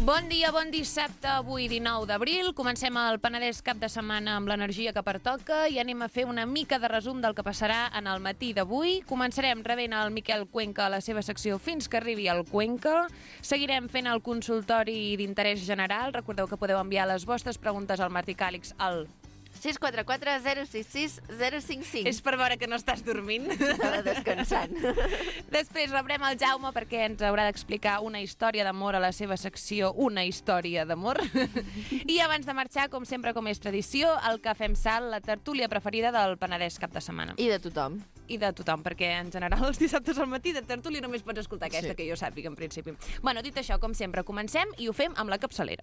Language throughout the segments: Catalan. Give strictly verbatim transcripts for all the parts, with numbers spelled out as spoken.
Bon dia, bon dissabte, avui dinou d'abril. Comencem el Penedès cap de setmana amb l'energia que pertoca i anem a fer una mica de resum del que passarà en el matí d'avui. Començarem rebent el Miquel Cuenca a la seva secció fins que arribi el Cuenca. Seguirem fent el consultori d'interès general. Recordeu que podeu enviar les vostres preguntes al Martí Càlix al sis quatre quatre zero sis sis zero cinc cinc. És per veure que no estàs dormint. Estava descansant. Després rebrem el Jaume perquè ens haurà d'explicar una història d'amor a la seva secció Una història d'amor. I abans de marxar, com sempre, com és tradició, el Cafè amb Sal, la tertúlia preferida del Penedès cap de setmana. I de tothom. I de tothom, perquè en general els dissabtes al matí de tertúlia només pots escoltar aquesta, sí. Que jo sàpiga, en principi. Bueno, dit això, com sempre, comencem i ho fem amb la capçalera.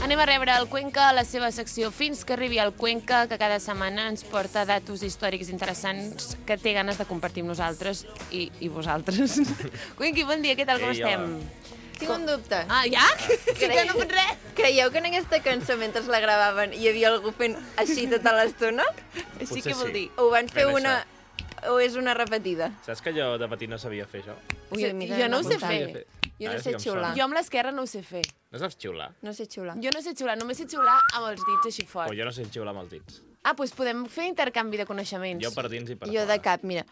Anem a rebre el Cuenca a la seva secció Fins que arribi el Cuenca, que cada setmana ens porta datos històrics interessants que té ganes de compartir amb nosaltres i, i vosaltres. Cuenqui, bon dia, què tal, com Ei, estem? Tinc un dubte. Ah, ja? Sí que no pot res? Creieu que en aquesta cançó, mentre la gravaven, hi havia algú fent així tota l'estona? Així Potser què vol sí. dir? O van fer Fent una... o és una repetida? Saps que jo de petit no sabia fer això? Ui, mira, jo no ho sé apuntant. fer. Jo Ara no sí sé que em xiular. sona. Jo amb l'esquerra no ho sé fer. No saps xiular? No sé xiular. Jo no sé xiular, només sé xiular amb els dits així O fort. jo no sé xiular amb els dits. Ah, doncs podem fer intercanvi de coneixements. Jo per dins i per Jo fora. de cap, mira.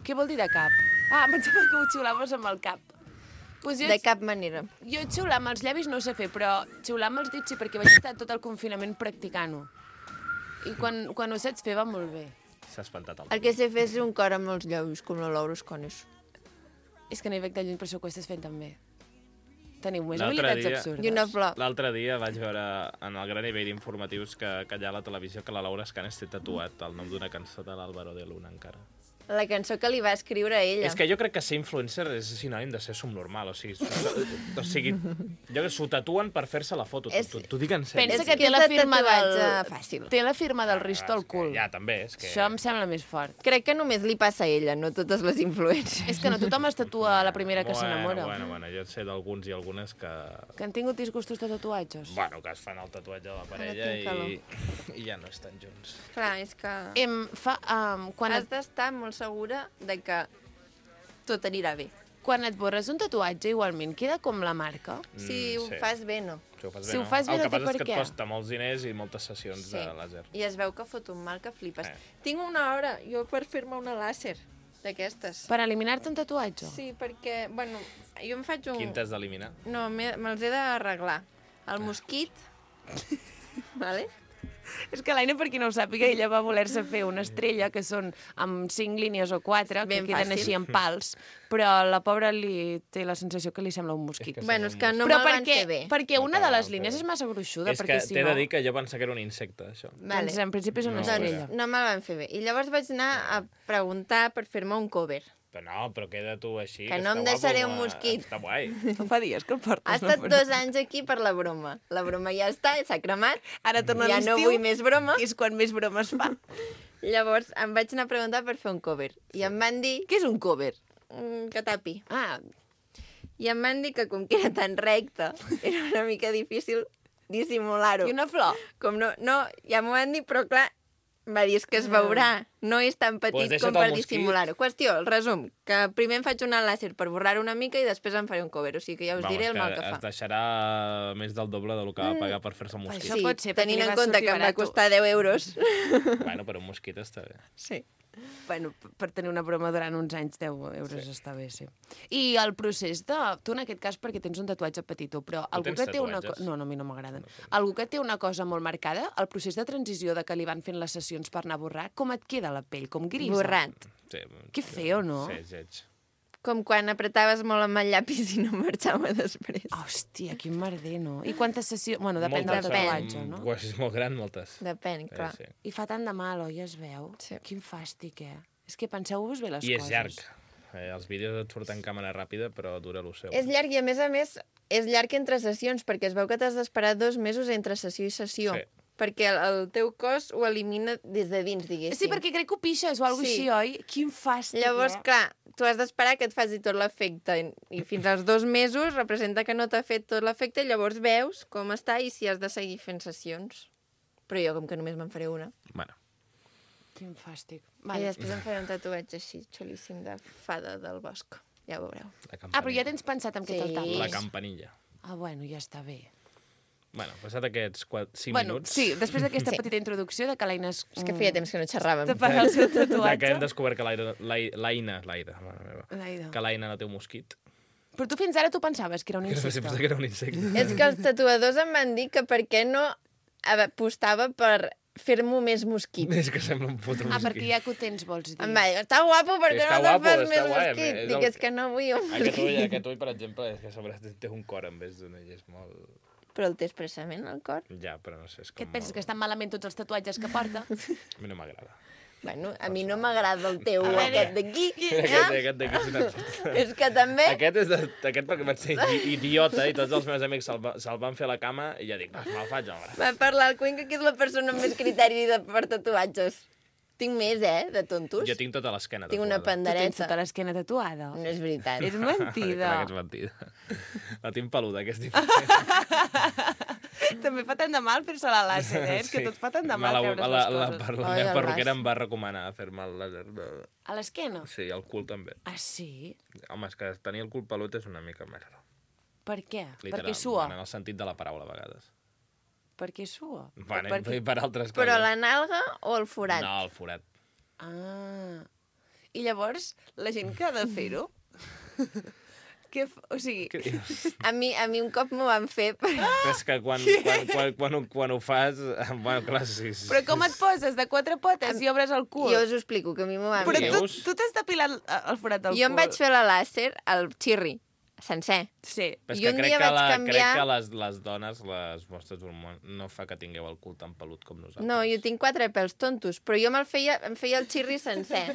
Què vol dir de cap? Ah, em pensava que ho xiulaves amb el cap. Pues jo, De cap manera. jo xiular amb els llavis no ho sé fer, però xiular amb els dits sí, perquè vaig estar tot el confinament practicant-ho. I quan, quan ho saps fer va molt bé. S'ha espantat el El que sé fer és un cor amb els llavis, com la Laura Escones. És que no hi veig de lluny, però això ho estàs fent també. Teniu més L'altre habilitats dia- absurdes. I una flor. L'altre dia vaig veure en el gran nivell d'informatius que, que hi ha a la televisió que la Laura Escanes té tatuat el nom d'una cançó de l'Álvaro de Luna encara. La cançó que li va escriure a ella. És que jo crec que ser influencer és sinònim de ser subnormal, o sigui, su, o sigui jo que s'ho tatuen per fer-se la foto, És- t'ho t'ho dic en sèrio. Pensa És que que té la és de firma del... tatuatge fàcil. Té la firma del Risto al cul. Ja, també, és que... Això em sembla més fort. Crec que només li passa a ella, no totes les influències. És que no tothom es tatua a la primera que s'enamora. Bueno, bueno, jo sé d'alguns i algunes que... Que han tingut disgustos de tatuatges. Bueno, que es fan el tatuatge de la parella tinc i, i ja no estan junts. Clar, és que... Em fa... Um, quan, Has et, d'estar molt segura de que tot anirà bé. quan et borres un tatuatge, igualment, queda com la marca. Si Mm, ho sí. fas bé, no. Si ho fas Si bé, ho no? fas bé, el no que té passa per és que què. et costa molts diners i moltes sessions Sí. de làser. I es veu que fot un mal que flipes. Eh. Tinc una hora, jo, per fer-me una làser d'aquestes. Per eliminar-te un tatuatge. Sí, perquè, bueno, jo em faig un... Quin t'has d'eliminar? No, me- me'ls he d'arreglar. El mosquit, vale? És que l'Aina, per qui no ho sàpiga, ella va voler-se fer una estrella, que són amb cinc línies o quatre, que Ben queden fàcil. així en pals, però la pobra li té la sensació que li sembla un mosquit. És que Bueno, és que no però me'l van perquè, fer bé. perquè No una de te la les van fer línies bé. és massa gruixuda, És que perquè si t'he no... de dir que jo pensava que era un insecte, això. Doncs en principi és una No, estrella. Doncs no me'l van fer bé. I llavors vaig anar a preguntar per fer-me un cover. Però no, però queda tu així. Que no està em guapo, deixaré un eh? mosquit. Està guai. No fa dies que el portes. Ha no? estat dos anys aquí per la broma. La broma ja està, s'ha cremat. Ara torna Ja l'estiu, no vull més broma. i és quan més bromes fa. Llavors em vaig anar a preguntar per fer un cover. I em van dir Què és un cover? mm, que tapi. Ah, I em van dir que com que era tan recte, era una mica difícil dissimular-ho. i una flor? Com no, no, ja m'ho van dir, però clar, em va dir, és que es veurà, no és tan petit Pues deixa't com per el mosquit. dissimular-ho. Qüestió, el resum, que primer em faig una làser per borrar-ho una mica i després em faré un cover, o sigui que ja us Vamos, diré el mal que es fa. deixarà més del doble del que va pagar per fer-se un Això mosquit. Sí, pot ser, perquè tenint li en va compte sortir que em va barat. costar deu euros. Bueno, però un mosquit està bé. Sí. Bueno, p- per tenir una broma durant uns anys, deu euros sí. està bé, sí. I el procés de... Tu en aquest cas perquè tens un tatuatge petitó, però algú tens que té una... tatuatges? co- No, no, a mi no m'agraden. Algú que té una cosa molt marcada, el procés de transició de que li van fent les sessions per anar a borrar, com et queda la pell? Com grisa? Borrat. Sí, Que feo, no? Sí, és lleig. Com quan apretaves molt amb el llapis i no marxava després. Hòstia, quin merder, no? I quantes sessions... Bueno, depèn del Moltes, tatuatge, um, no? Quan és molt gran, moltes. Depèn, clar. Sí, sí. I fa tant de mal, oi? Es veu? Sí. Quin fàstic, eh? És que penseu-vos bé les I coses. és llarg. Eh, els vídeos et surten en càmera ràpida, però dura lo seu. És llarg i, a més a més, és llarg entre sessions, perquè es veu que t'has d'esperar dos mesos entre sessió i sessió. Sí. Perquè el, el teu cos ho elimina des de dins, diguéssim. Sí, perquè crec que ho pixes o alguna Sí. així, oi? Quin fàstic, Llavors, eh? clar, tu has d'esperar que et faci tot l'efecte i, i fins als dos mesos representa que no t'ha fet tot l'efecte i llavors veus com està i si has de seguir fent sessions. Però jo, com que només me'n faré una. Bueno, Quin fàstic. Vale. Vale. I després em faré un tatuatge així, xulíssim, de fada del bosc. Ja ho veureu. la campanilla. Ah, però ja tens pensat en què Sí. te'l tapes? La campanilla. Ah, bueno, ja està bé. Bueno, passat aquests cinc Bueno, minuts... sí, després d'aquesta Sí. petita introducció de que l'Aina és... És que feia temps que no xerràvem. Tapar el seu Ja que hem tatuatge. descobert que l'Aina... l'Ai- l'Aina... L'Aina, mare meva. L'Aina. Que l'Aina no té un mosquit. Però tu fins ara tu pensaves que era un Sí, insecte. pensava que era un insecte. És que els tatuadors em van dir que per què no apostava per fer-m'ho més mosquit. És que sembla un puto mosquit. Ah, perquè ja que ho tens, vols dir. Em va dir, està guapo, per què Està no te'l guapo, fas està més guai, mosquit? és Dic, el- és que no vull un Aquest ull, mosquit. aquest ull, per exemple, és que a sobre té un cor en vez d'un ull, és molt... Però el té expressament, el cor. Ja, però no sé, és com Què et penses, molt... que estan malament tots els tatuatges que porta? A mi no m'agrada. Bueno, a mi no m'agrada el teu, veure. aquest d'aquí. Aquest, Ja? aquest d'aquí és una... És que també... Aquest és de, aquest perquè vaig ser idi- idiota i tots els meus amics se'l va, se van fer a la cama i ja dic, va, me'l faig ara. Va parlar el Cuenca, que és la persona amb més criteri de, per tatuatges. Tinc més, eh, de tontos. Jo tinc tota l'esquena Tinc una Tu tens pandereta. tota l'esquena tatuada. No és veritat. És mentida. Clar que és mentida. La tinc peluda, que és diferent. També fa tant de mal fer-se la làser, eh? És que tot fa tant de mal Me la, treure's la, les la, coses. per la Ai, meva el perruquera las. em va recomanar fer-me el làser. De... A l'esquena? Sí, el cul també. Ah, sí? Home, és que tenir el cul pelut és una mica merda. Per què? Literal, Perquè sua? En el sentit de la paraula, a vegades. Per què sua? Bueno, per i per altres coses. Però la nalga o el forat? No, el forat. Ah. I llavors, la gent que ha de fer-ho... Què f... O sigui... Què dius? A mi, a mi un cop m'ho van fer... Per... Però és que quan, quan, quan, quan, ho, quan ho fas... Bueno, clar, sí, sí. Però com et poses de quatre potes i obres el cul? Jo us ho explico, que a mi m'ho van Però fer. tu, Veus? tu t'has depilat el, el forat del cul. Jo em vaig fer la làser, el xirri, sencer. Sí. Però és I que un crec dia que, vaig la, canviar- crec que les, les dones, les vostres hormones, no fa que tingueu el cul tan pelut com nosaltres. No, jo tinc quatre pèls tontos, però jo me'l feia, em feia el xirri sencer.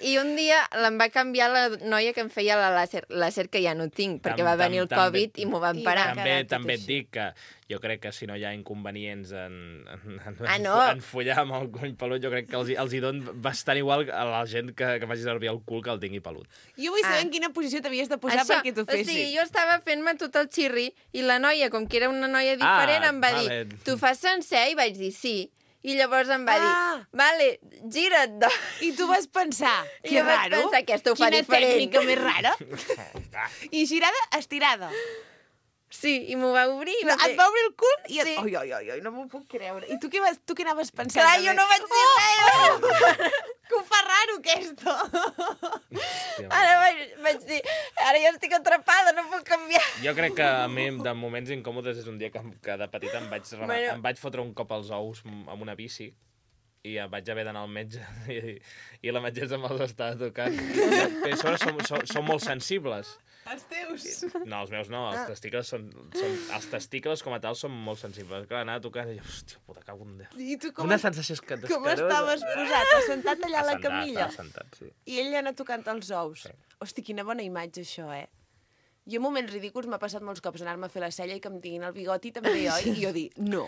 I un dia l'em va canviar la noia que em feia la làser, làser que ja no tinc, perquè Tam- va venir el tam- també- Covid i m'ho van I parar. va També, quedar tot també et així. dic que jo crec que si no hi ha inconvenients en, en, en, Ah, no. en follar amb el cony pelut, jo crec que els, hi- els hi don bastant igual a la gent que, que faci servir el cul que el tingui pelut. Jo vull saber Ah. en quina posició t'havies de posar perquè t'ho o fessin. sigui, jo estava fent-me tot el xirri i la noia, com que era una noia diferent, Ah, em va vale. dir, tu fas sencer? I vaig dir, sí. I llavors em va Ah. dir, vale, gira't, doncs. I tu vas pensar, I que jo vaig raro. pensar, aquesta ho fa Quina diferent. tècnica més rara. I girada, estirada. Sí, i m'ho va obrir. I No, va et va obrir el cul i... Et... Sí. Oi, oi, oi, oi, no m'ho puc creure. I tu què, vas, tu què anaves pensant? Clar, també? jo no vaig dir res. Que ho fa raro, aquesta. Hòstia, Ara vaig, vaig dir, ara jo estic atrapada, no puc canviar. Jo crec que a mi, de moments incòmodes, és un dia que, que de petita em vaig, rema- Bueno. em vaig fotre un cop als ous amb una bici i em vaig haver d'anar al metge i, i la metgessa me'ls estava tocant. I a sobre són, són, són molt sensibles. Els teus. No, els meus no, Ah. els testicles són, són... Els testicles com a tal són molt sensibles. Clar, anava tocant i jo, hòstia, puta, cago en Déu. I tu com, Una sensació és que com estaves posat? Assentat allà a la camilla? Estava sentat, sí. I ell anava tocant els ous. Hosti, quina bona imatge, això, eh? Jo, en moments ridículs, m'ha passat molts cops anar-me a fer la cella i que em tinguin el bigoti també, oi? I jo dir, no.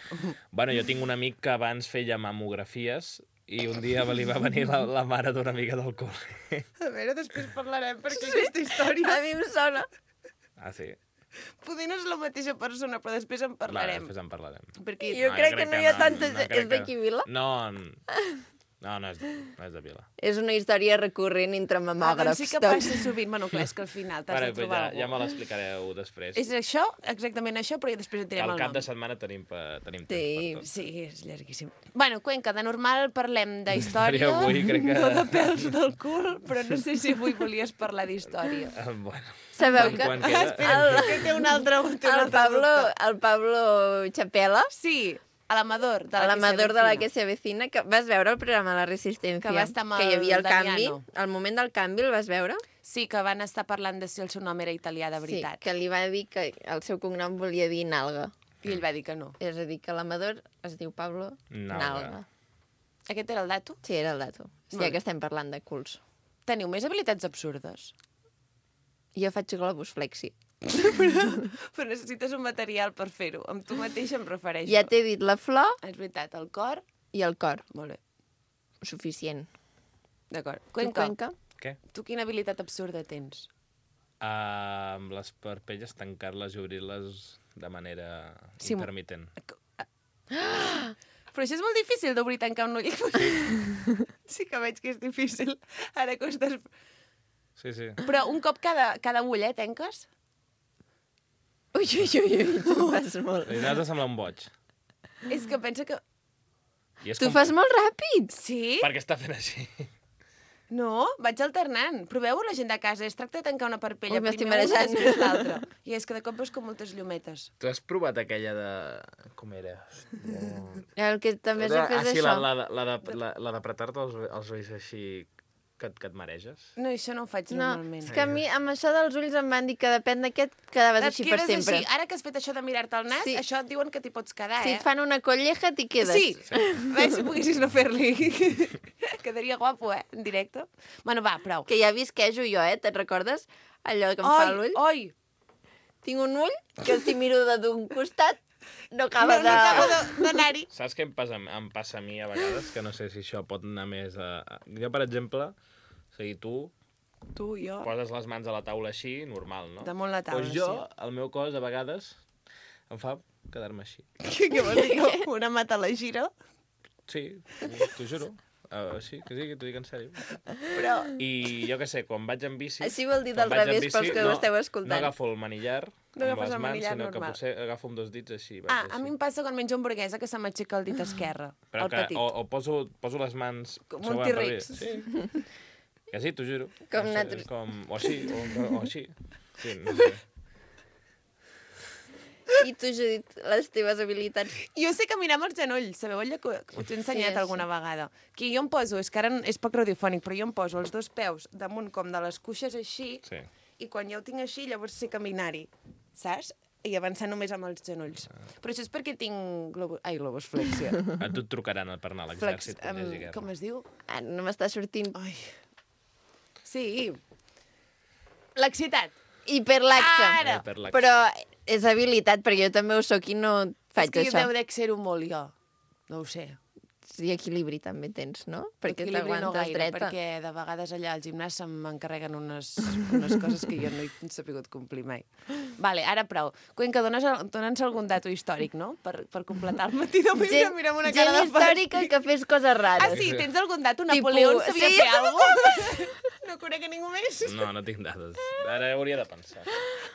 Bueno, jo tinc un amic que abans feia mamografies i un dia li va venir la, la mare d'una amiga del col·le. A veure, després parlarem, perquè aquesta història... A mi em sona. Ah, sí? Poder no és la mateixa persona, però després en Vale, parlarem. després en parlarem. Perquè... Jo crec que no hi ha tanta gent. crec És d'aquí, Vila? No, no, no és, de, no és de Vila. És una història recurrent entre Ah, mamògrafs. doncs sí que passa sovint. Bueno, clar, és que al final t'has Vale, de pues trobar ja, algú. ja me l'explicareu després. És això, exactament això, però ja després et direm Al el cap nom. de setmana tenim, pa, tenim temps Sí. per tot. Sí, és llarguíssim. Bueno, Cuenca, de normal parlem d'història, Avui crec que- no de pèls del cul, però no sé si avui volies parlar d'història. Ah, bueno. Sabeu que Quan queda? el, Que té un altre... Té un el, altre Pablo, dubte. el Pablo Chapela, Sí, a l'amador de la l'amador de la que que se avecina, que vas veure el programa La Resistencia? Que va estar amb que hi havia el el canvi. Damiano. Al moment del canvi el vas veure? Sí, que van estar parlant de si el seu nom era italià de Sí, veritat. que li va dir que el seu cognom volia dir Nalga. I ell va dir que no. És a dir, que l'Amador es diu Pablo Nalga. Nalga. Aquest era el dato? Sí, era el dato. Sí, Molt ja bé. que estem parlant de culs. Teniu més habilitats absurdes? Jo faig globus flexi. Però necessites un material per fer-ho. Amb tu mateixa em refereixo. Ja t'he dit la flor És veritat, el cor... i el cor. Molt bé, Suficient. d'acord. Tu, Cuenca, Cuenca? Què? tu quina habilitat absurda tens? Uh, amb les parpelles tancar-les i obrir-les de manera Sí, intermitent. Però això és molt difícil d'obrir i tancar un ull. Sí. sí que veig que és difícil. Ara que ho estàs... Sí, sí. Però un cop cada, cada ull, eh, tanques? Ui, ui, ui, ui, tu fas molt. I n'has de semblar un boig. És que pensa que... I és Tu com... fas molt ràpid. Sí? Per què està fent així? No, vaig alternant. Proveu-ho la gent de casa. Es tracta de tancar una parpella Ui, m'estic primer una, marejant. després l'altra. I és que de cop veus com moltes llumetes. Tu has provat aquella de... Com era? El que també has Era- de fer ah, és sí, la, això. la, de- la, de- la, la d'apretar-te els, els ulls així que, et- que et mareges. No, això no ho faig No, normalment. és que a mi amb això dels ulls em van dir que depèn d'aquest quedaves Et així per quedes sempre. Així. Ara que has fet això de mirar-te el nas, Sí. això et diuen que t'hi pots quedar, Si eh? et fan una colleja, t'hi quedes. Sí, veus si poguessis no fer-li. Quedaria guapo, eh, en directe. Bueno, va, prou. Que ja visquejo jo, eh? Te'n recordes? Allò que em fa Oi, l'ull. oi! Tinc un ull que si miro de d'un costat no No, acaba no de... acaba de- d'anar-hi. Saps què em passa, em passa a mi a vegades? Que no sé si això pot anar més a... a- Jo, per exemple, o sigui, tu Tu, jo... poses les mans a la taula així, normal, no? Damunt la taula, pues jo, sí. el meu cos, a vegades, em fa quedar-me així. Què vols dir? Una mata a la gira? Sí, t'ho juro. Uh, sí, que sí, que t'ho dic en sèrio. Però... I jo què sé, quan vaig en bici... Així vol dir quan del vaig en revés bici, pels que ho no, esteu No escoltant. agafo el manillar No amb agafes les el mans, manillar sinó que normal. potser agafo amb dos dits així. Vaig Ah, així. a mi em passa quan menjo hamburguesa que se m'aixeca el dit esquerre, Però el que, petit. o, o poso, poso les mans... Com sobre un al T-Rex. revés. Sí. Que sí, t'ho juro. Com no sé, nosaltres. com, o així, o, o així. Sí, no sé. I tu, Judit, les teves habilitats... Jo sé caminar amb els genolls, sabeu allò que que us he ensenyat Sí, alguna vegada? Que jo em poso, és que ara és poc radiofònic, però jo em poso els dos peus damunt com de les cuixes així, Sí. i quan ja ho tinc així, llavors sé caminar-hi, saps? I avançar només amb els genolls. Però això és perquè tinc... Globo... Ai, globus flexia. A tu et trucaran per anar a Flex, l'exèrcit. quan hi hagi um, guerra. com es diu? Ah, no m'està sortint. Ai. Sí. L'excitat. Hiperlaxa. Ara! Hiperlaxa. Però és habilitat, perquè jo també ho soc i no faig és que jo això. deu de ser-ho molt, jo. No ho sé. I equilibri també tens, no? Perquè Equilibri no t'aguantes gaire, dreta. perquè de vegades allà al gimnàs se'm encarreguen unes, unes coses que jo no he sabut complir mai. Vale, ara prou. Cuenca, dones, dona'ns algun dato històric, no? Per, per completar el matí d'avui, que Gent, mirem una gent cara de històrica fàstic. que fes coses rares. Ah, sí? Tens algun dato? Tipo, Napoleó sabia sí. fer alguna cosa? No conec a ningú més? No, no tinc dades. Ara hauria de pensar.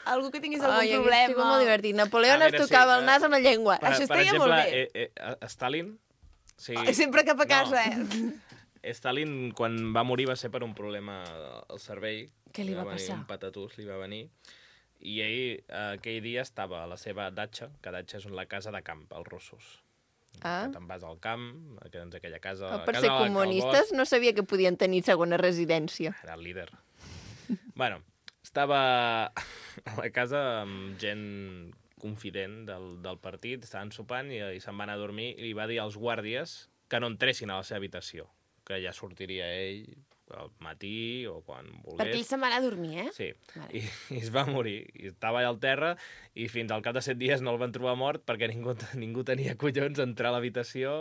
Algú que tinguis algun Ai, hagués problema? sigut molt divertit. Napoleó Ah, es mira, sí, tocava el eh, nas amb la llengua. Per, Això per estaria exemple, molt bé. Eh, eh, Stalin... Sí, Ai, sempre cap a casa, no. eh? Stalin, quan va morir, va ser per un problema al cervell. Què li va venir passar? Un patatús li va venir. I ell, eh, aquell dia, estava a la seva datxa, que datxa és la casa de camp, als russos. Ah. Que te'n vas al camp, que tens aquella casa... Oh, per casa ser al- al comunistes bosc. no sabia que podien tenir segona residència. Era el líder. Bueno, estava a la casa amb gent confident del, del partit, estaven sopant i, i se'n van a dormir i li va dir als guàrdies que no entressin a la seva habitació, que ja sortiria ell al matí o quan volgués. Perquè ell se'n va anar a dormir, eh? Sí, Vale. I, i es va morir. I estava allà al terra i fins al cap de set dies no el van trobar mort perquè ningú, ningú tenia collons a entrar a l'habitació.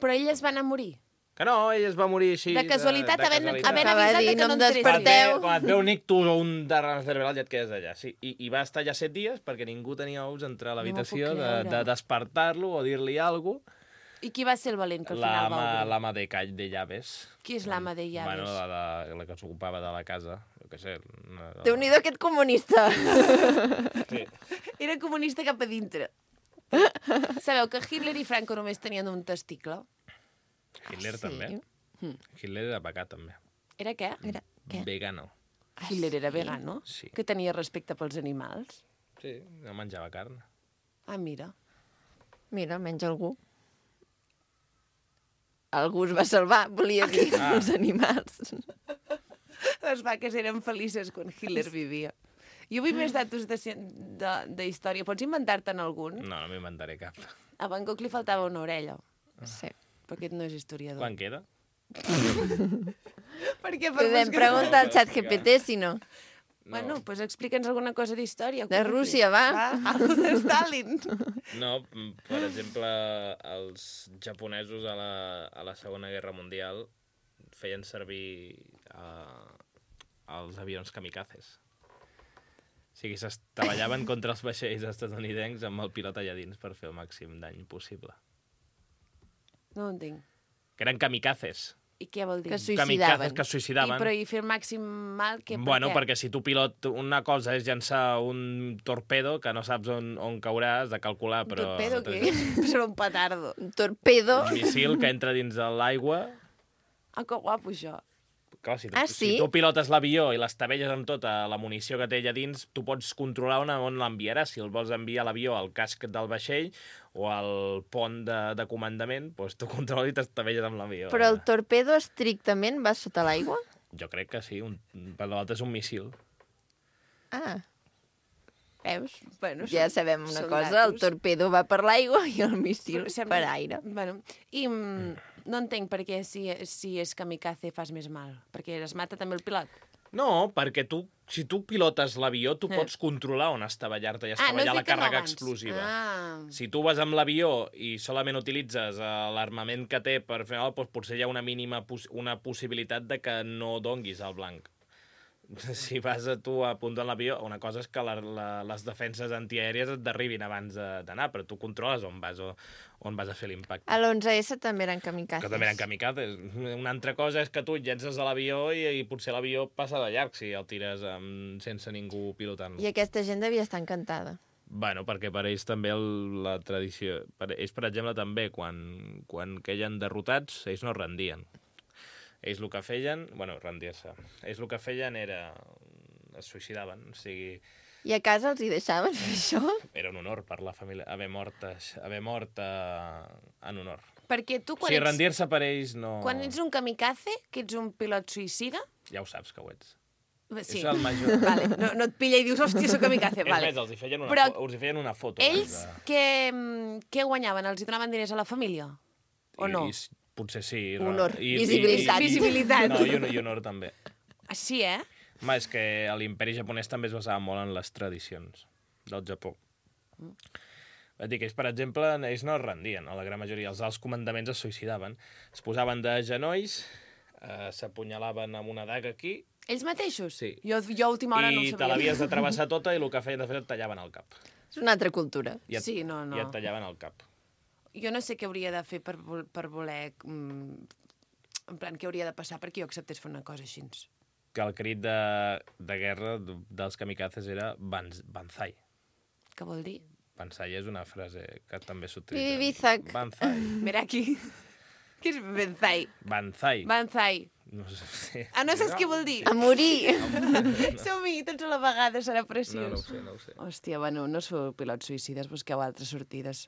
Però ell es va anar a morir. Que no, ell es va morir així... De casualitat, de, de havent, casualitat. havent Acaba de avisat dir, de que no no em entressin. Quan et, desperteu. ve, quan et ve un ictus o un derrame cerebral ja et quedes allà. Sí, i, I va estar allà set dies perquè ningú tenia ous a entrar a l'habitació No m'ho puc de, creure. de despertar-lo o dir-li alguna cosa. I qui va ser el valent que al final va L'ama obrir? l'ama de call de llaves. Qui és l'ama de llaves? Bueno, la, la, la que s'ocupava de la casa. Jo què sé. Una, Déu-n'hi-do aquest comunista. Sí. Era comunista cap a dintre. Sabeu que Hitler i Franco només tenien un testicle? Hitler Sí. també. Hitler era vegà també. Era què? Era, què? Vegano. Hitler era vegano? Sí. Que tenia respecte pels animals? Sí, no menjava carn. Ah, mira. Mira, almenys algú. Algú es va salvar, volia dir, Ah. els animals. Les vaques eren felices quan Hitler vivia. Jo vull més datos de, de, de història. Pots inventar-te'n algun? No, no m'inventaré cap. A Van Gogh li faltava una orella. Sí. Però aquest no és historiador. Quan queda? Perquè per Podem preguntar al xat G P T, si no. No. Bueno, doncs pues explica'ns alguna cosa d'història. De Rússia, va. Va, algo de Stalin. No, per exemple, els japonesos a la, a la Segona Guerra Mundial feien servir uh, els avions kamikazes. O sigui, s'estavellaven contra els vaixells estatunidencs amb el pilot allà dins per fer el màxim dany possible. No ho entenc. Que eren kamikazes. I què vol dir? Que Kamikazes suïcidaven. que es suïcidaven. I, però i fer el màxim mal? Que, Bueno, per què? perquè si tu pilot una cosa és llançar un torpedo que no saps on, on caurà, has de calcular, Un però... torpedo, què? Serà un petardo. Un torpedo. Un missil que entra dins de l'aigua. Ah, que guapo, això. Clar, si, Ah, si sí? tu pilotes l'avió i l'estabelles amb tota la munició que té allà dins, tu pots controlar on, on l'enviaràs. Si el vols enviar l'avió al casc del vaixell o al pont de, de comandament, doncs tu controles i t'estabelles amb l'avió. Però el torpedo estrictament va sota l'aigua? Jo crec que sí, un, per l'altre és un missil. Ah, veus? Bueno, Ja són- sabem una són cosa, el datos. torpedo va per l'aigua i el míssil Però sembla- per aire. Bueno, i mm, no entenc per què si, si és kamikaze fas més mal. Perquè es mata també el pilot. No, perquè tu, si tu pilotes l'avió, tu Eh. pots controlar on estavellar-te i Ah, no estavellar has la dit que no càrrega abans. explosiva. Ah, Si tu vas amb l'avió i solament utilitzes uh, l'armament que té per fer mal, doncs potser hi ha una mínima pos una possibilitat de que no donguis al blanc. Si vas a tu apuntant l'avió, una cosa és que la, la, les defenses antiaèries et derribin abans de- d'anar, però tu controles on vas, o, on vas a fer l'impacte. A l'onze essa també eren kamikazes. Que també eren kamikazes. Una altra cosa és que tu et llences de l'avió i, i potser l'avió passa de llarg si el tires um, sense ningú pilotant-lo. I aquesta gent devia estar encantada. Bueno, perquè per ells també el, la tradició... Per ells, per exemple, també, quan, quan queien derrotats, ells no es rendien. Ells el que feien... Bueno, rendir-se. Ells el que feien era... es suïcidaven, o sigui... I a casa els hi deixaven fer això? Era un honor per la família haver mort, haver mort uh, en honor. perquè tu O quan, sigui, ets, rendir-se per ells no... quan ets un kamikaze, que ets un pilot suïcida... Ja ho saps que ho ets. Sí. És el major. Vale. No, no et pilla i dius, hòstia, soc kamikaze. És Vale. més, els hi feien una, Però fo els hi feien una foto. Ells abans de- què, mm, què guanyaven? Els hi donaven diners a la família? O no? I, i, potser sí. Honor, I, visibilitat. I, i, Visibilitat. No, i, honor, i honor també. Ah, sí, eh? Home, és que l'imperi japonès també es basava molt en les tradicions del Japó. Mm. Vull dir que ells, per exemple, ells no es rendien, a la gran majoria. Els alts comandaments es suïcidaven. Es posaven de genolls, eh, s'apunyalaven amb una daga aquí, Ells mateixos? Sí. Jo, jo a última hora no ho i te sabia. l'havies de travessar tota i el que feien de fet et tallaven el cap. És una altra cultura. I et, Sí, no, no. I et tallaven el cap. Jo no sé què hauria de fer per, vol- per voler... Mm, en plan, què hauria de passar perquè jo acceptés fer una cosa així. Que el crit de, de guerra dels kamikazes era Banz, Banzai. Què vol dir? Banzai és una frase que també Bibi s'utilitza. Bizak. Banzai. Mira aquí. Què és Banzai? Banzai. Banzai. No sé. Ah, no saps què vol dir? A morir. Som-hi, tots a la vegada, serà No, preciós. no ho sé, no ho sé. Hòstia, bueno, no sou pilots suïcides, busqueu altres sortides.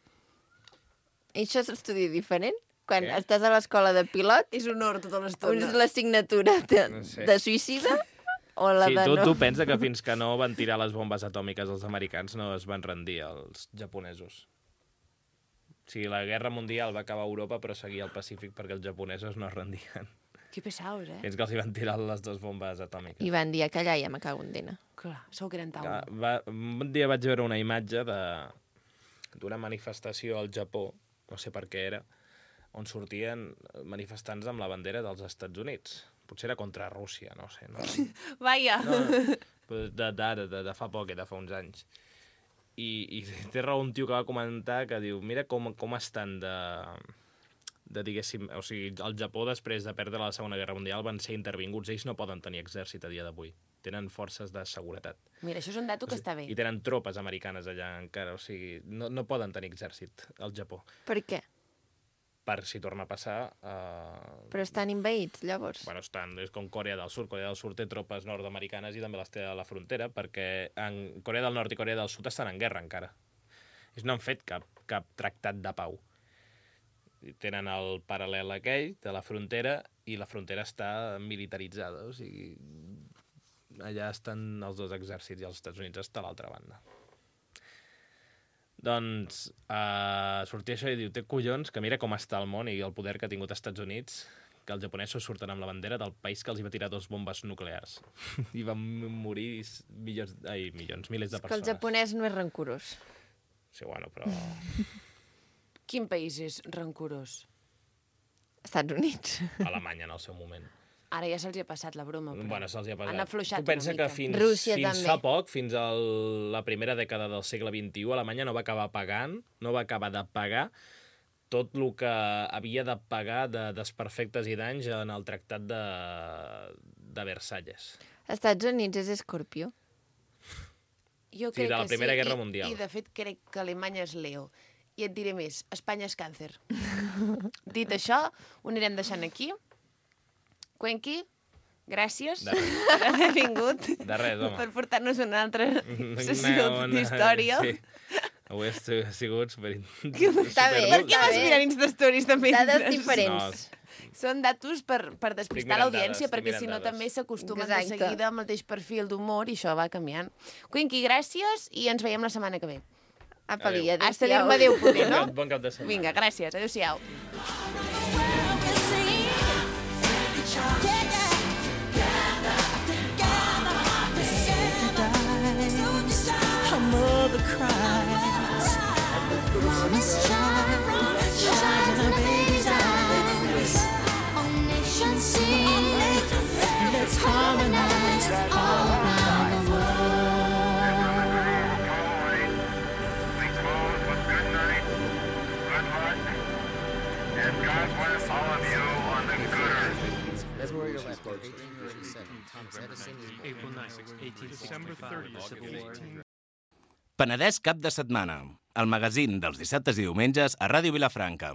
I això és estudi diferent? Quan Què? estàs a l'escola de pilot, És honor tota on l'estona. és l'assignatura de, No sé. de suïcida o la Sí, de tu, no? tu pensa que fins que no van tirar les bombes atòmiques els americans no es van rendir els japonesos. O sigui, la guerra mundial va acabar a Europa però seguia al Pacífic perquè els japonesos no es rendien. Que pesaos, eh? Fins que els hi van tirar les dues bombes atòmiques. I van dir que allà ja me cago en dena. Clar, sou que eren Va, taula. va, un dia vaig veure una imatge de- d'una manifestació al Japó, no sé per què era, on sortien manifestants amb la bandera dels Estats Units. Potser era contra Rússia, no sé. No, Vaja. no, però de, de, de, de fa poc, de fa uns anys. I, i té raó un tio que va comentar que diu, mira com, com estan de, de, diguéssim, o sigui, el Japó després de perdre la Segona Guerra Mundial van ser intervinguts, ells no poden tenir exèrcit a dia d'avui. Tenen forces de seguretat. Mira, això és un dato que està bé. I tenen tropes americanes allà encara, o sigui, no, no poden tenir exèrcit al Japó. Per què? Per si torna a passar... Eh... Però estan inveïts, llavors. Bueno, estan, és com Corea del Sud. Corea del Sud té tropes nord-americanes i també les té a la frontera, perquè en Corea del Nord i Corea del Sud estan en guerra encara. Ells no han fet cap, cap tractat de pau. I tenen el paral·lel aquell de la frontera i la frontera està militaritzada, o sigui, allà estan els dos exèrcits i els Estats Units està a l'altra banda. Doncs uh, sortia això i diu, té collons que mira com està el món i el poder que ha tingut els Estats Units, que els japonesos surten amb la bandera del país que els hi va tirar dos bombes nuclears. I van morir milions, ai, milions, milers de Que el persones. japonès no és rancorós. Sí, bueno, però... Quin país és rancorós? Estats Units. Alemanya en el seu moment. Ara ja se'ls ha passat la broma, però... Bueno, se'ls hi ha passat. Han afluixat Tu pensa una que mica. fins, Rússia fins també. fa poc, fins a la primera dècada del segle vint-i-u, Alemanya no va acabar pagant, no va acabar de pagar tot el que havia de pagar de desperfectes i danys en el tractat de, de Versalles. Estats Units és Escorpió. Jo Sí, crec de la que Primera sí, Guerra i, Mundial. I, de fet, crec que Alemanya és Leo. I et diré més, Espanya és Càncer. Dit això, ho anirem deixant aquí. Cuenqui, gràcies De res. per haver vingut. De res, home. Per portar-nos una altra sessió Una- una- d'història. Sí. Avui ha sigut super... Està bé, Per què Està vas bé. mirant Instastories també? Dades diferents. Són datos per, per despistar mirant l'audiència, dades, perquè estic si no mirant també dades. s'acostumen de Exacte. seguida al mateix perfil d'humor i això va canviant. Cuenqui, gràcies i ens veiem la setmana que ve. Apa-li, Adéu. Hasta adéu-siau. dir-me adéu poder, no? Bon cap de setmana. Vinga, gràcies. Adéu-siau. Her mother cries. Promise child, shines in her baby's eyes. All nations sing. Let's harmonize all around the world. We close with good night, good luck, and God bless all of you on the good earth. That's where you're left. eighteen forty-seven. Thomas Edison is born. December thirtieth, Civil War. Penedès cap de setmana. El magazín dels dissabtes i diumenges a Ràdio Vilafranca.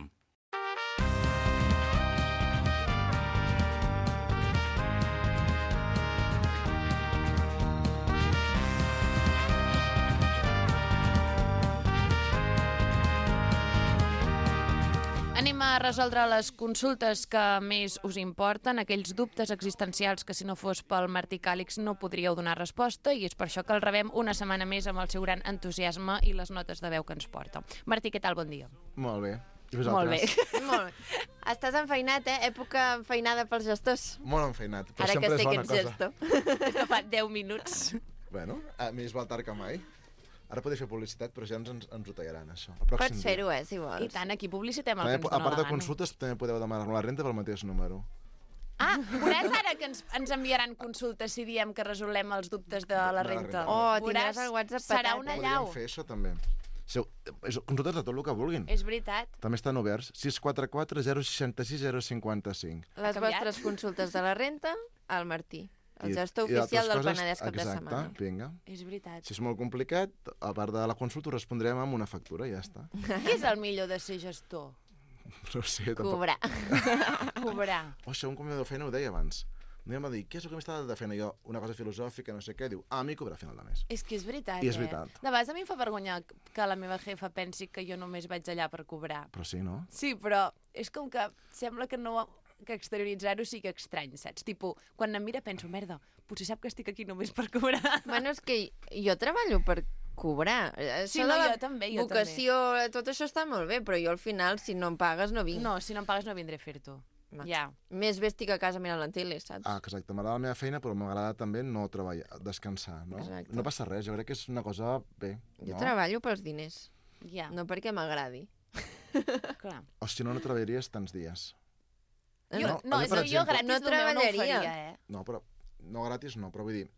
Anem a resoldre les consultes que més us importen, aquells dubtes existencials que si no fos pel Martí Càlix no podríeu donar resposta, i és per això que el rebem una setmana més amb el seu gran entusiasme i les notes de veu que ens porta. Martí, què tal? Bon dia. Molt bé. I Molt bé. vosaltres? Molt bé. Estàs enfeinat, eh? Època enfeinada pels gestors. Molt enfeinat, però Ara que sempre sé és que bona ets cosa. gestor. No fa deu minuts. Bueno, a més val tard que mai. Ara podria fer publicitat, però ja ens, ens, ens ho tallaran, això. El pròxim Pots dia. fer-ho, eh, si vols. I tant, aquí publicitem el També, que ens a dóna part la de gana. consultes, també podeu demanar la renta pel mateix número. Ah, veuràs ara que ens, ens enviaran consultes si diem que resolem els dubtes de la la renta. renta. Oh, Veuràs, tindràs el WhatsApp serà petat, una eh? llau. Podríem fer això, també. Si, és, consultes de tot el que vulguin. És veritat. També estan oberts. sis quatre quatre zero seixanta sis zero cinquanta cinc. Les canviat? vostres consultes de la renta, al Martí, el I- gestor i d'altres oficial del coses, Penedès cap de exacte, setmana. vinga. És veritat. Si és molt complicat, a part de la consulta, ho respondrem amb una factura i ja està. Què és el millor de ser gestor? No ho sé, tampoc... Cobrar. Cobrar. O això, un convidador de feina ho deia abans. No em va dir, què és el que m'està de feina? Jo, una cosa filosòfica, no sé què, diu, ah, a mi cobrar a final de mes. És que és veritat, I és eh? veritat. De vegades a mi em fa vergonya que la meva jefa pensi que jo només vaig allà per cobrar. Però sí, no? Sí, però és com que sembla que no que exterioritzar-ho sigui estrany, saps? Tipo, quan em mira penso, merda, potser sap que estic aquí només per cobrar. Bueno, és que jo treballo per cobrar. Sí, Això no, de la jo també, jo vocació, tot això està molt bé, però jo al final, si no em pagues, no vinc. No, si no em pagues no vindré a fer-t'ho. No. Ja. Més bé estic a casa mirant la tele, saps? Ah, que exacte, m'agrada la meva feina, però m'agrada també no treballar, descansar, no? Exacte. No passa res, jo crec que és una cosa bé, Jo no? treballo pels diners, Ja, no perquè m'agradi. clar. O si no, no treballaries tants dies. Jo, No, no, a mi, és per que jo exemple- gratis No no meu no ho treballaria. faria, eh? No, però no gratis no, però vull dir,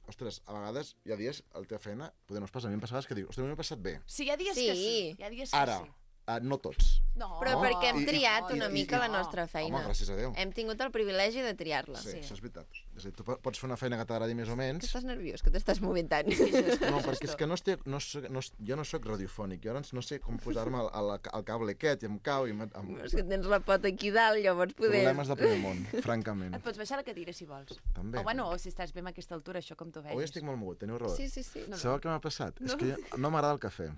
ostres, a vegades hi ha dies, a la teva feina, potser no es passa, a mi em passa a vegades que diu, ostres, a mi m'ha passat bé. Sí, hi ha dies Sí. que sí. Hi ha dies que Ara, sí. uh, no tots. No. Però Oh, perquè hem i- i- triat i- una i- mica i- la nostra feina. Home, gràcies a Déu. Hem tingut el privilegi de triar-la. Sí, Sí. això és veritat. És a dir, tu po- pots fer una feina que t'agradi més o Que menys. estàs nerviós, que t'estàs movent tant. No, perquè és que no estic, no soc, no, jo no sóc radiofònic, jo ara no sé com posar-me al, al, al cable aquest i em cau i em, amb És que tens la pota aquí dalt, llavors poder... problemes de primer món, francament. Et pots baixar la cadira si vols. També. O bueno, o si estàs bé amb aquesta altura, això com tu vegis. Avui estic molt mogut, teniu raó. Sí, sí, sí. No, Sabeu què m'ha passat? És que jo, no m'agrada el cafè.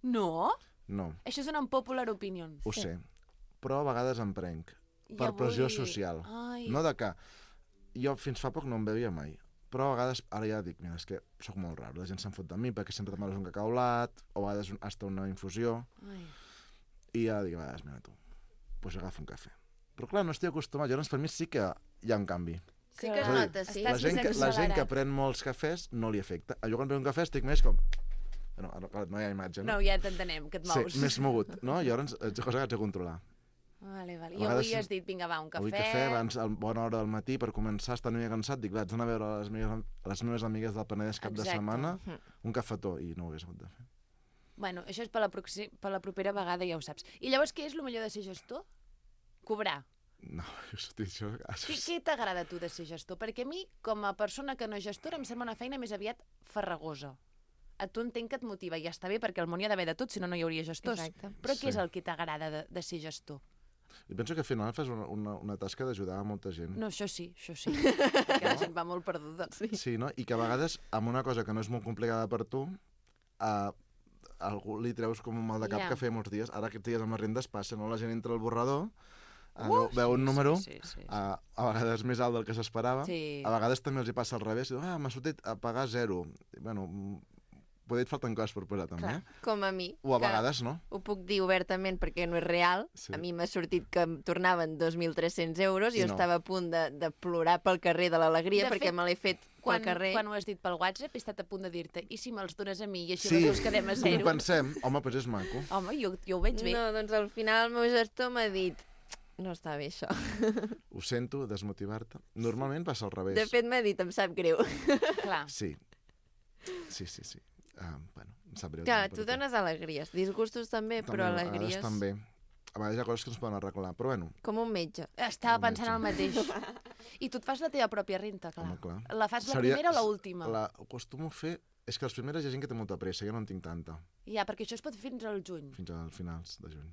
No? No, Això és una unpopular opinion. ho sé. Però a vegades em prenc. I Per avui- pressió social. Ai. No de que... Jo fins fa poc no em bevia mai. Però a vegades, ara ja dic, mira, és que sóc molt raro, la gent se'n fot de mi perquè sempre t'amares un cacaulat, o a vegades hasta una infusió, Ai. i ja dic, a vegades, mira tu, doncs agafa un cafè. Però clar, no estic acostumat, llavors per mi sí que hi ha un canvi. Sí que es És a dir, nota, sí. La gent, que, la gent que pren molts cafès no li afecta. Jo quan prenc un cafè estic més com... No, ara, clar, no hi ha imatge, no? No, ja t'entenem, que et mous. Sí, més mogut, no? I llavors és cosa que haig de controlar. Vale, vale. A I vegades avui has dit, vinga, va, un cafè... Avui cafè, abans, a bona hora del matí, per començar, estar una mica cansat, dic, vaig anar a veure les meves, les meves amigues del Penedès cap Exacte. de setmana, un cafetó, i no ho hagués hagut de fer. Bueno, això és per la, proxi... per la propera vegada, ja ho saps. I llavors, què és el millor de ser gestor? Cobrar. No, hosti, això... Què, què t'agrada a tu de ser gestor? Perquè a mi, com a persona que no és gestora, em sembla una feina més aviat farragosa. A tu entenc que et motiva, i ja està bé, perquè al món hi ha d'haver de tot, si no, no hi hauria gestors. Exacte. Però què Sí. és el que t'agrada de, de ser gestor? I penso que al final fas una, una, una tasca d'ajudar a molta gent. No, això sí, això sí. Perquè la gent va molt perduda. Sí. Sí, no? I que a vegades, amb una cosa que no és molt complicada per tu, a algú li treus com un mal de cap Ja. que feia molts dies. Ara aquests dies amb les rendes passa, no? La gent entra al borrador, uh, Uh, veu, veu un sí, número, sí, sí, sí. A, a vegades més alt del que s'esperava, Sí. a vegades també els hi passa al revés, i diu, ah, m'ha sortit a pagar zero. I, bueno, mm, poder et falten coses per posar també, Clar, eh? com a mi. O a que vegades no. Ho puc dir obertament perquè no és real. Sí. A mi m'ha sortit que em tornaven dos mil tres-cents euros i I jo no. estava a punt de, de plorar pel carrer de l'alegria De perquè fet, me l'he fet Quan, pel carrer. quan ho has dit pel WhatsApp, he estat a punt de dir-te, i si me'ls dones a mi i així Sí, les dues quedem a ho zero? pensem, home, doncs és maco. Home, jo, jo ho veig bé. No, doncs al final el meu gestor m'ha dit no està bé això. Ho sento, desmotivar-te. Normalment passa al revés. De fet m'ha dit em sap greu. Clar. Sí. Sí, sí, sí. Uh, bueno, em sap greu. Clar, també tu per dones alegries, disgustos també, També, però a vegades alegries també. A vegades hi ha coses que ens poden arreglar, però bueno, com un metge. Estava Un pensant el mateix. I tu et fas la teva pròpia renta, clar. home, clar. La fas la Seria- primera o l'última? La acostumo a fer... És que les primeres hi ha gent que té molta pressa, jo no en tinc tanta, Ja, perquè això es pot fer fins al juny. fins als finals de juny.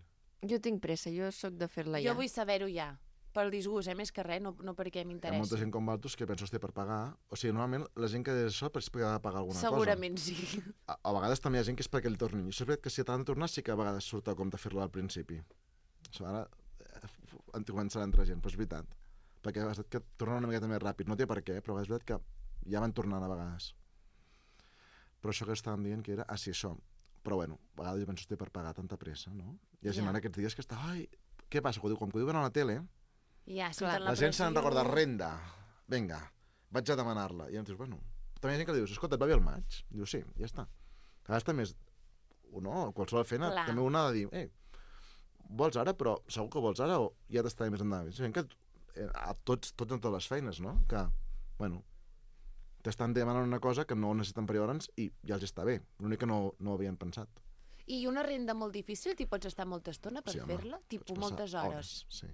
Jo tinc pressa, jo sóc de fer-la ja. Jo vull saber-ho ja. Pel disgust, eh? Més que res, no, no perquè Hi ha molta m'interessa. gent com Valtus que penso té per pagar. O sigui, normalment la gent que és això és perquè ha de pagar alguna Segurament sí. cosa. A, a vegades també hi ha gent que és perquè li tornin. I això és veritat que si t'han de tornar sí que a vegades surt a compte fer-lo al principi. Això ara eh, en començarà a entrar gent, però és veritat. Perquè és veritat que tornen una miqueta més ràpid. No té per què, però és veritat que ja van tornant a vegades. Però això que estàvem dient que era, ah, sí, això. Però bueno, a vegades jo penso que té per pagar tanta pressa, no? Hi ha gent Ja. ara aquests dies que està, ai, què passa? Quan ho quan ho diuen a la tele, Ja, si Clar, te'n la, gent se n'en pressió- recorda renda. Vinga, vaig a demanar-la. I llavors dius, bueno, també hi ha gent que li dius, escolta, et va bé el maig? Diu, sí, ja està. A vegades també és, o no, qualsevol feina, Clar. també una ha de dir, eh, vols ara, però segur que vols ara o ja t'està més endavant. És gent que eh, a tots, tots en totes les feines, no? Que, bueno, t'estan demanant una cosa que no necessiten per llavors i ja els està bé. L'únic que no, no ho havien pensat. I una renda molt difícil, t'hi pots estar molta estona per Sí, home, fer-la? Tipo pots passar moltes hores. Sí.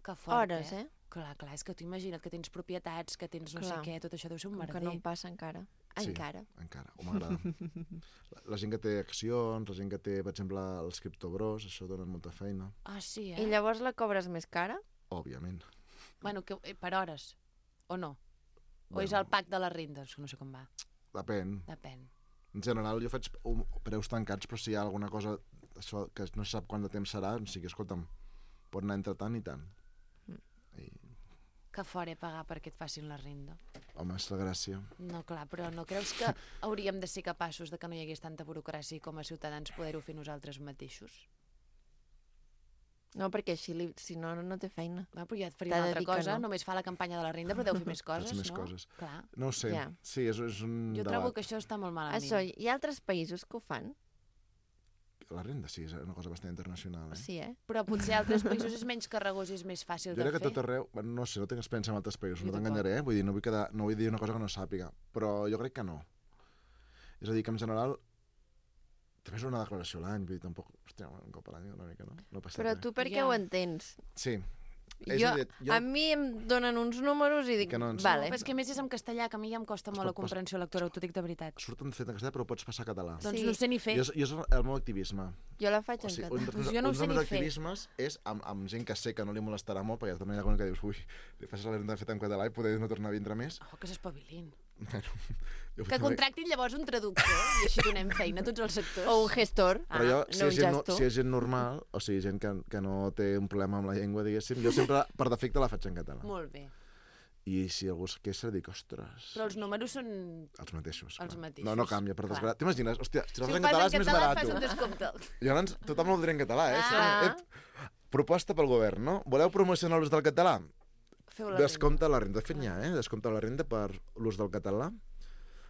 Que fort, Hores, eh? Clar, clar, és que tu imagina't que tens propietats, que tens no Clar. sé què, tot això deu ser un Com merder. que no em passa encara. Sí, Encara. encara, o m'agrada. la, la gent que té accions, la gent que té, per exemple, els criptobros, això dona molta feina, Ah, sí, eh? I llavors la cobres més cara? òbviament. Bueno, que, eh, per hores, o no? O Bueno. és el pack de les rendes, que no sé com va. Depèn. Depèn. En general jo faig un, preus tancats, però si hi ha alguna cosa això, que no se sap quant de temps serà, o sigui, escolta'm, pot anar entre tant i tant. I, Que fort, eh, pagar perquè et facin la renda. home, és la gràcia. No, clar, però no creus que hauríem de ser capaços de que no hi hagués tanta burocràcia i com a ciutadans poder-ho fer nosaltres mateixos? No, perquè així, li, si no, no té feina. Va, però ja et faria T'ha una de altra dir que cosa, no. només fa la campanya de la renda, però deu fer més coses, Faig més no? coses. Clar. No ho sé, Ja. sí, és, és un Jo debat. trobo que això està molt malament. Això, hi ha altres països que ho fan? La renda sí, és una cosa bastant internacional. Eh? Sí, eh? Però potser a altres països és menys carregós i és més fàcil Jo de crec que fer. tot arreu, bueno, no sé, no tinc experiència en altres països, Jo no t'enganyaré, eh? Vull dir, no vull, quedar, no vull dir una cosa que no sàpiga, però jo crec que no. És a dir, que en general també és una declaració a l'any, vull dir, tampoc, hòstia, un cop a l'any una mica, no? No passa Però res. tu per què Ja. ho entens? Sí. És Jo, a dir, jo... A mi em donen uns números i dic, Que no ens- vale. Però és que a més és en castellà, que a mi ja em costa molt la pot pas- comprensió lectora, t'ho dic de veritat. Surten fet en castellà, però ho pots passar a català. Doncs Sí. no ho sé ni fer. Jo, és- jo és el meu activisme. Jo la faig O en sigui, català. un, dels Doncs meus- jo no ho un sé dels meus ni fer. activismes és amb, amb gent que sé que no li molestarà molt, perquè també hi ha alguna que dius, ui, li fas la renda feta en català i poder no tornar a vindre més. Oh, que s'espavilin. Bueno, jo Que contractin llavors un traductor i així donem feina a tots els sectors. O un gestor. Però jo, Ah, si, no és un gent, no, gestor. si és gent normal, o sigui, gent que, que no té un problema amb la llengua, diguéssim, jo sempre, per defecte, la faig en català. Molt bé. I si algú es queixa, dic, ostres... Però els números són... Els mateixos. Els clar. mateixos. No, no canvia, per Clar. desgràcia. T'imagines? Hòstia, si Si l'has ho en fas català en és més català, barat. fas un descompte. Llavors, tothom ho dirà en català, eh? Ah. Ep, proposta pel govern, no? Voleu promocionar l'ús del català? Feu la Descompte la renda. De fet, n'hi ha, eh? Descompte la renda per l'ús del català.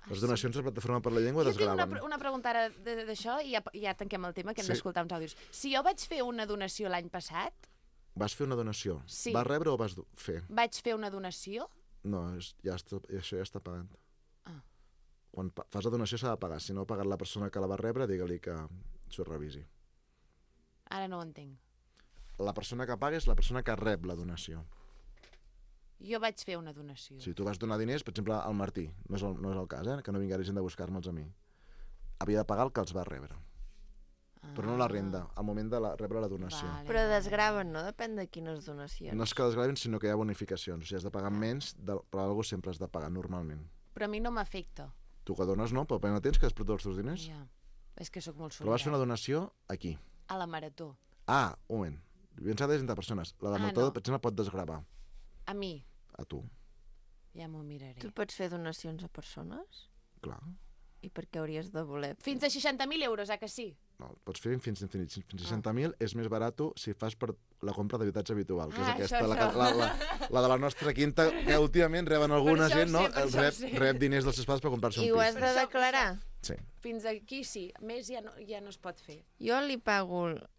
Les donacions a la Plataforma per la Llengua Jo tinc una, desgraven. pre- una pregunta ara de- d'això i ja, ja tanquem el tema, que hem Sí. d'escoltar uns àudios. Si jo vaig fer una donació l'any passat, Vas fer una donació? Sí. Vas rebre o vas do- fer? vaig fer una donació... No, és, ja està, això ja està pagat. Ah. Quan pa- fas la donació s'ha de pagar. Si no ha pagat la persona que la va rebre, digue-li que s'ho revisi. Ara no ho entenc. La persona que paga és la persona que rep la donació. Jo vaig fer una donació. Si tu vas donar diners, per exemple, al Martí, no és el, no és el cas, eh? Que no vingui gent de buscar-me'ls a mi. Havia de pagar el que els va rebre. Però no la renda, al moment de la, rebre la donació. Vale. Però desgraven, no? Depèn de quines donacions. No és que desgravin, sinó que hi ha bonificacions. O sigui, has de pagar menys, de, però algú sempre has de pagar, normalment. Però a mi no m'afecta. Tu que dones no, però no tens que després tots els teus diners. Ja. És que sóc molt Però vas fer una solidària. donació aquí. A la marató. Ah, un moment. Pensava de persones. La de Ah, Marató, no. per exemple, pot desgravar A mi. a tu. Ja m'ho miraré. Tu pots fer donacions a persones? Clar. I per què hauries de voler? Fins a seixanta mil euros, eh que sí? No, pots fer fins a infinit. Fins a seixanta mil és més barat si fas per la compra d'habitatge habitual, que és Ah, aquesta, això, la, això. la, la, la de la nostra quinta, que últimament reben alguna això ho gent, no? sé, per això ho Rep, sé. rep diners dels seus pares per comprar-se I un ho has pis. de declarar? Sí. Fins aquí sí. Més ja no, ja no es pot fer. Jo li pago el,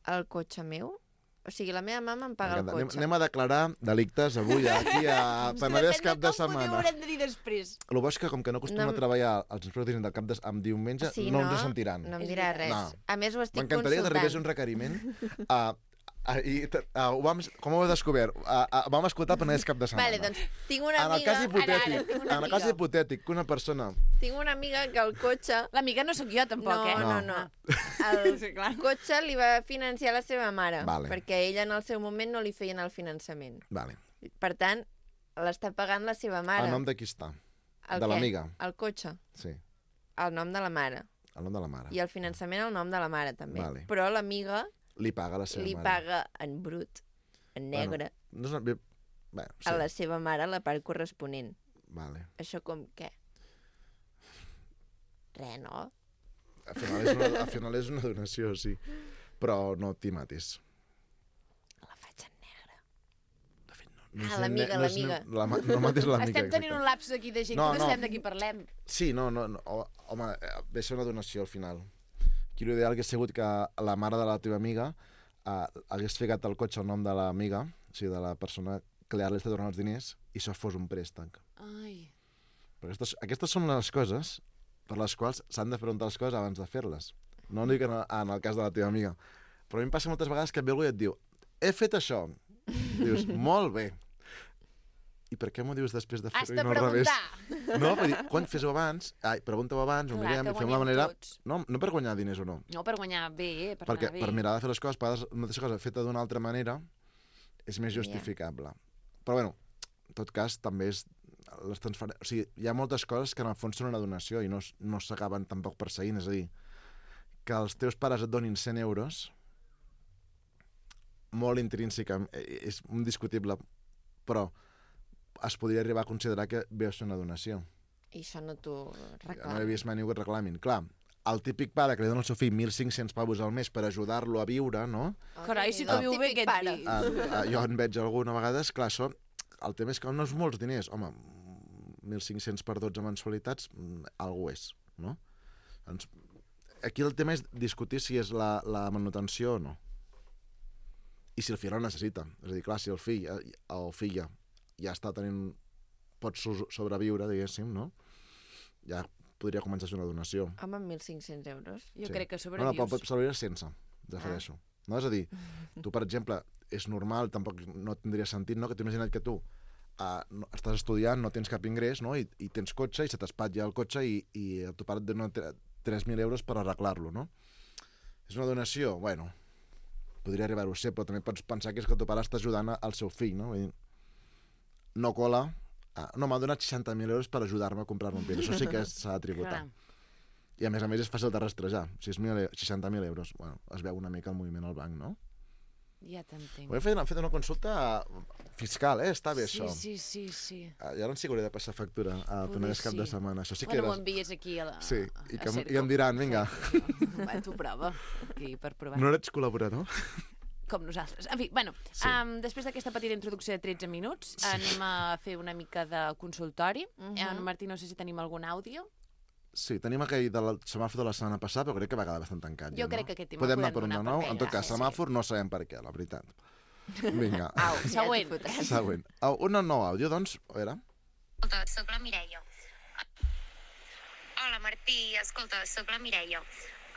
el cotxe meu. O sigui, la meva mama em paga el Anem, cotxe. anem a declarar delictes avui aquí a Penedès cap de Ho setmana. haurem de dir després. El bo és que, com que no acostumem No a treballar els inspectors del cap de, amb diumenge, Sí, no, no? ens ho sentiran. No em És dirà veritat. res. No. A més, ho estic M'encantaria que t'arribés un consultant. requeriment. Uh, uh, i, uh, ho vam, com ho heu descobert? Uh, uh, vam escoltar Penedès cap de setmana. Vale, doncs tinc una En el amiga... cas hipotètic, Ara, ara, tinc una en el cas amiga. hipotètic que una persona... Tinc una amiga que el cotxe... L'amiga no sóc jo, tampoc, No, eh? no, no. El Sí, clar. cotxe li va financiar la seva mare, Vale. perquè ella en el seu moment no li feien el finançament. Vale. Per tant, l'està pagant la seva mare. El nom de qui està? El de què? l'amiga. El cotxe. Sí, El nom de la mare. el nom de la mare. I el finançament el nom de la mare, també. Vale. Però l'amiga Li paga la seva li mare. paga en brut, en negre, Bueno, no és una... bé, Bé, sí. a la seva mare la part corresponent. Vale. Això com què? Res, no? Al final, és una, al final és una donació, sí. Però no t'hi matis. La faig en negre. De fet, no, Ah, és l'amiga, ne- no és l'amiga. ne- La, ma- no matis l'amiga. Estem tenint exacte. un lapsus aquí de gent No, que no, no. sabem de qui parlem. Sí, no, no, no. ho- Home, eh, ve ser una donació al final. Aquí l'ideal hauria sigut que la mare de la teva amiga eh, hagués ficat el cotxe al nom de l'amiga, o sigui, de la persona que li ara li està donant els diners, i això fos un préstec. Ai. Però aquestes, aquestes són les coses per les quals s'han de preguntar les coses abans de fer-les. No dic en, en el cas de la teva amiga. Però a mi em passa moltes vegades que et ve algú i et diu he fet això. Dius, molt bé. I per què m'ho dius després de Has fer-ho de i no al revés? preguntar. No, per dir, quan fes-ho abans, ai, pregunta-ho abans, ho Clar, mirem que i fem la guanyem manera... tots. No, no per guanyar diners o no, No, per guanyar bé, per perquè anar bé. per mirar de fer les coses, a vegades una mateixa cosa feta d'una altra manera és més justificable. Però bueno, en tot cas, també és les transfer... O sigui, hi ha moltes coses que en el fons són una donació i no, s- no s'acaben tampoc perseguint. És a dir, que els teus pares et donin cent euros, molt intrínseca, eh, és indiscutible, però es podria arribar a considerar que ve a ser una donació. I això no t'ho No reclamo. he vist mai ningú que et reclamin. Clar, el típic pare que li dona al seu fill mil cinc-cents pavos al mes per ajudar-lo a viure, no? Carai, sí que El viu bé típic aquest pare. pis. Uh, uh, jo en veig alguna vegada, clar, això, el tema és que no és molts diners. Home, mil cinc-cents per dotze mensualitats, mm, algú és, no? Doncs, aquí el tema és discutir si és la, la manutenció o no. I si el fill la necessita. És a dir, clar, si el fill eh, o filla ja està tenint... pot so- sobreviure, diguéssim, no? Ja podria començar a ser una donació. Home, amb mil cinc-cents euros. Jo Sí. crec que No, no, sobrevius. pot, pot sobreviure sense, refereixo. No? És a dir, tu, per exemple, és normal, tampoc no tindria sentit, no?, que t'imagina't que tu uh, no, estàs estudiant, no tens cap ingrés, no?, i, i tens cotxe, i se t'espatlla el cotxe i, i el teu pare et dona tres mil euros per arreglar-lo, no? És una donació? Bueno, podria arribar-ho a ser, però també pots pensar que és que el teu pare està ajudant al seu fill, no? Vull dir, no cola... Uh, no, m'ha donat seixanta mil euros per ajudar-me a comprar-me un pis. Això sí que s'ha de tributar. Clar. I a més a més és fàcil de rastrejar. seixanta mil euros, bueno, es veu una mica el moviment al banc, no? Ja t'entenc. Ho hem fet, hem fet una consulta fiscal, eh? Està bé, sí, això. Sí, sí, sí. I ara sí que hauré de passar factura al Penedès cap de setmana. Això sí que bueno, era... ho envies aquí a la... Sí, i, que, a i em diran, vinga. Va, tu prova, aquí, per provar. No ets col·laborador? Com nosaltres. En fi, bueno, sí. um, després d'aquesta petita introducció de tretze minuts, sí. anem a fer una mica de consultori. Uh -huh. En Martí, no sé si tenim algun àudio. Sí, tenim aquell del semàfor de la setmana passada, però crec que va quedar bastant tancat. Jo ja, crec no? que aquest tema podem podem anar per un de donar nou. per En tot cas, sí, semàfor sí. No sabem per què, la veritat. Vinga. Au, següent. Següent. Un nou àudio, doncs, a veure. Escolta, soc la Mireia. Hola, Martí. Escolta, soc la Mireia.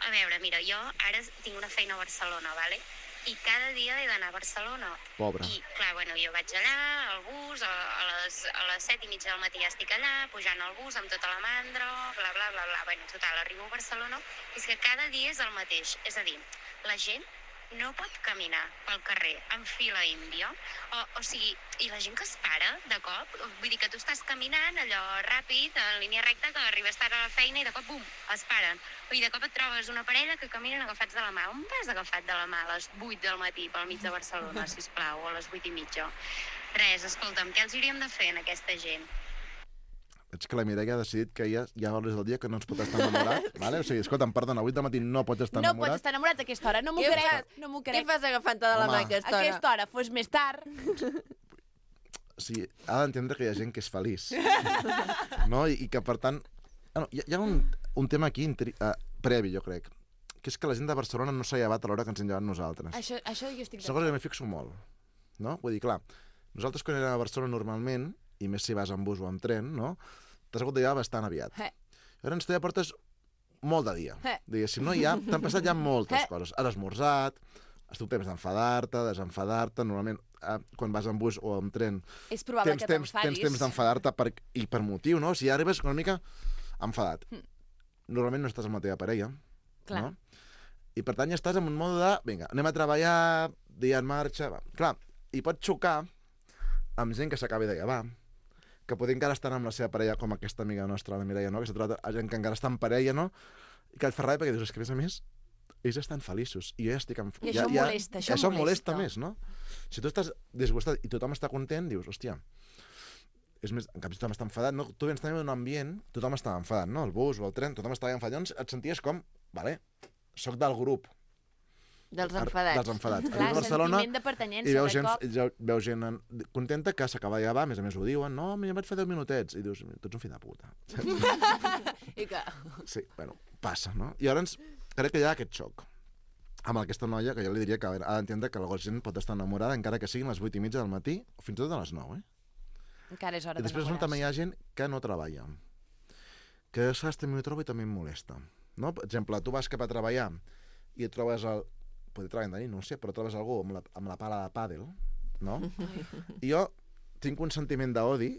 A veure, mira, jo ara tinc una feina a Barcelona, vale? I cada dia he d'anar a Barcelona. Pobra. I, clar, bueno, jo vaig allà, al bus, a, a, les, a les set i mitja del matí ja estic allà, pujant al bus amb tota la mandra, bla, bla, bla, bla. Bueno, total, arribo a Barcelona, i és que cada dia és el mateix. És a dir, la gent no pot caminar pel carrer en fila índia, o, o sigui, i la gent que es para de cop, vull dir que tu estàs caminant allò ràpid, en línia recta, que arribes tard a la feina i de cop, bum, es paren. I de cop et trobes una parella que caminen agafats de la mà. On vas agafat de la mà a les vuit del matí pel mig de Barcelona, sisplau, o a les vuit i mitja? Res, escolta'm, què els hauríem de fer en aquesta gent? Veig que la Mireia ha decidit que ja hi ha hores del dia que no ens pot estar enamorat. Vale? O sigui, escolta'm, perdona, avui de matí no pots estar no enamorat. No pots estar enamorat a aquesta hora, no m'ho crec. Fas? No m'ho crec. Què fas agafant-te de la mà a aquesta hora? A aquesta hora, fos més tard. O sigui, ha d'entendre que hi ha gent que és feliç. No? I, i que, per tant... Bueno, hi, hi ha un, un tema aquí uh, previ, jo crec, que és que la gent de Barcelona no s'ha llevat a l'hora que ens hem llevat nosaltres. Això, això jo estic d'acord. És una cosa que m'hi fixo molt. No? Vull dir, clar, nosaltres quan anem a Barcelona normalment, i més si vas en bus o en tren, no? T'has hagut de llevar bastant aviat. Eh. Llavors tu ja portes molt de dia. Eh. Diguéssim, no? Ja t'han passat ja moltes eh. coses. Has esmorzat, has tingut temps d'enfadar-te, desenfadar-te. Normalment, eh, quan vas en bus o en tren, és probable tens que temps, tens temps d'enfadar-te per, i per motiu, no? Si ja arribes una mica enfadat. Mm. Normalment no estàs amb la teva parella. Clar. No? I per tant ja estàs en un mode de, vinga, anem a treballar, dia en marxa... Va. Clar, i pot xocar amb gent que s'acabi de llevar, que potser encara estan amb la seva parella, com aquesta amiga nostra, la Mireia, no? Que s'ha trobat a gent que encara està en parella, no? I que et fa ràbia perquè dius, és que a més a més, ells estan feliços, i jo ja estic... En... I ja, això ja, molesta, això, això molesta. molesta més, no? Si tu estàs disgustat i tothom està content, dius, hòstia, és més, en canvi tothom està enfadat, no? Tu vens també d'un ambient, tothom està enfadat, no? El bus o el tren, tothom estava enfadat, llavors et senties com, vale, soc del grup, dels enfadats. Dels enfadats. Clar, a Barcelona, sentiment de pertanyença, i veus de gent, cop. veus gent en, contenta que s'acaba de llevar, a més a més ho diuen, no, em vaig fer deu minutets, i dius, tu ets un fill de puta. I que... Sí, bueno, passa, no? I llavors crec que hi ha aquest xoc amb aquesta noia, que jo li diria que ha d'entendre que la gent pot estar enamorada encara que siguin les vuit i mitja del matí o fins i tot a les nou, eh? Encara és hora I després d'enamorar-se. també hi ha gent que no treballa, que saps, també ho trobo i també em molesta, no? Per exemple, tu vas cap a treballar i et trobes el... Poder treballar de nit, no ho sé, però trobes algú amb la, amb la pala de pàdel, no? I jo tinc un sentiment d'odi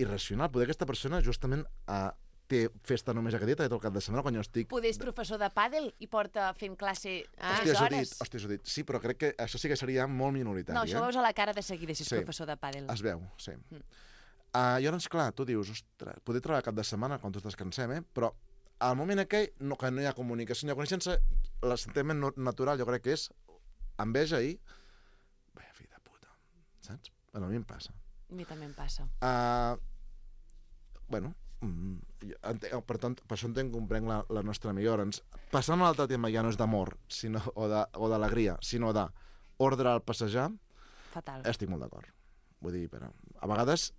irracional. Poder aquesta persona justament uh, té festa només aquest dia, té tot el cap de setmana, quan jo estic... Poder és professor de pàdel i porta fent classe ah, sis hòstia, hores. Dit, hòstia, ho dit. Sí, però crec que això sí que seria molt minoritari. No, això eh? ho veus a la cara de seguida si és sí, professor de pàdel. Es veu, sí. Mm. Uh, llavors, clar, tu dius, ostres, poder treballar cap de setmana quan tots descansem, eh? Però al moment aquell, no, que no hi ha comunicació, no hi ha coneixença, el sentiment natural jo crec que és enveja i... Vaya fill de puta, saps? Bueno, a mi em passa. A mi també em passa. Uh, bueno, mm, entenc, per tant, per això entenc que comprenc la, la nostra amiga. Llavors, passant a l'altre tema ja no és d'amor sinó, o d'alegria, sinó d'ordre al passejar, fatal. Estic molt d'acord. Vull dir, però, a vegades,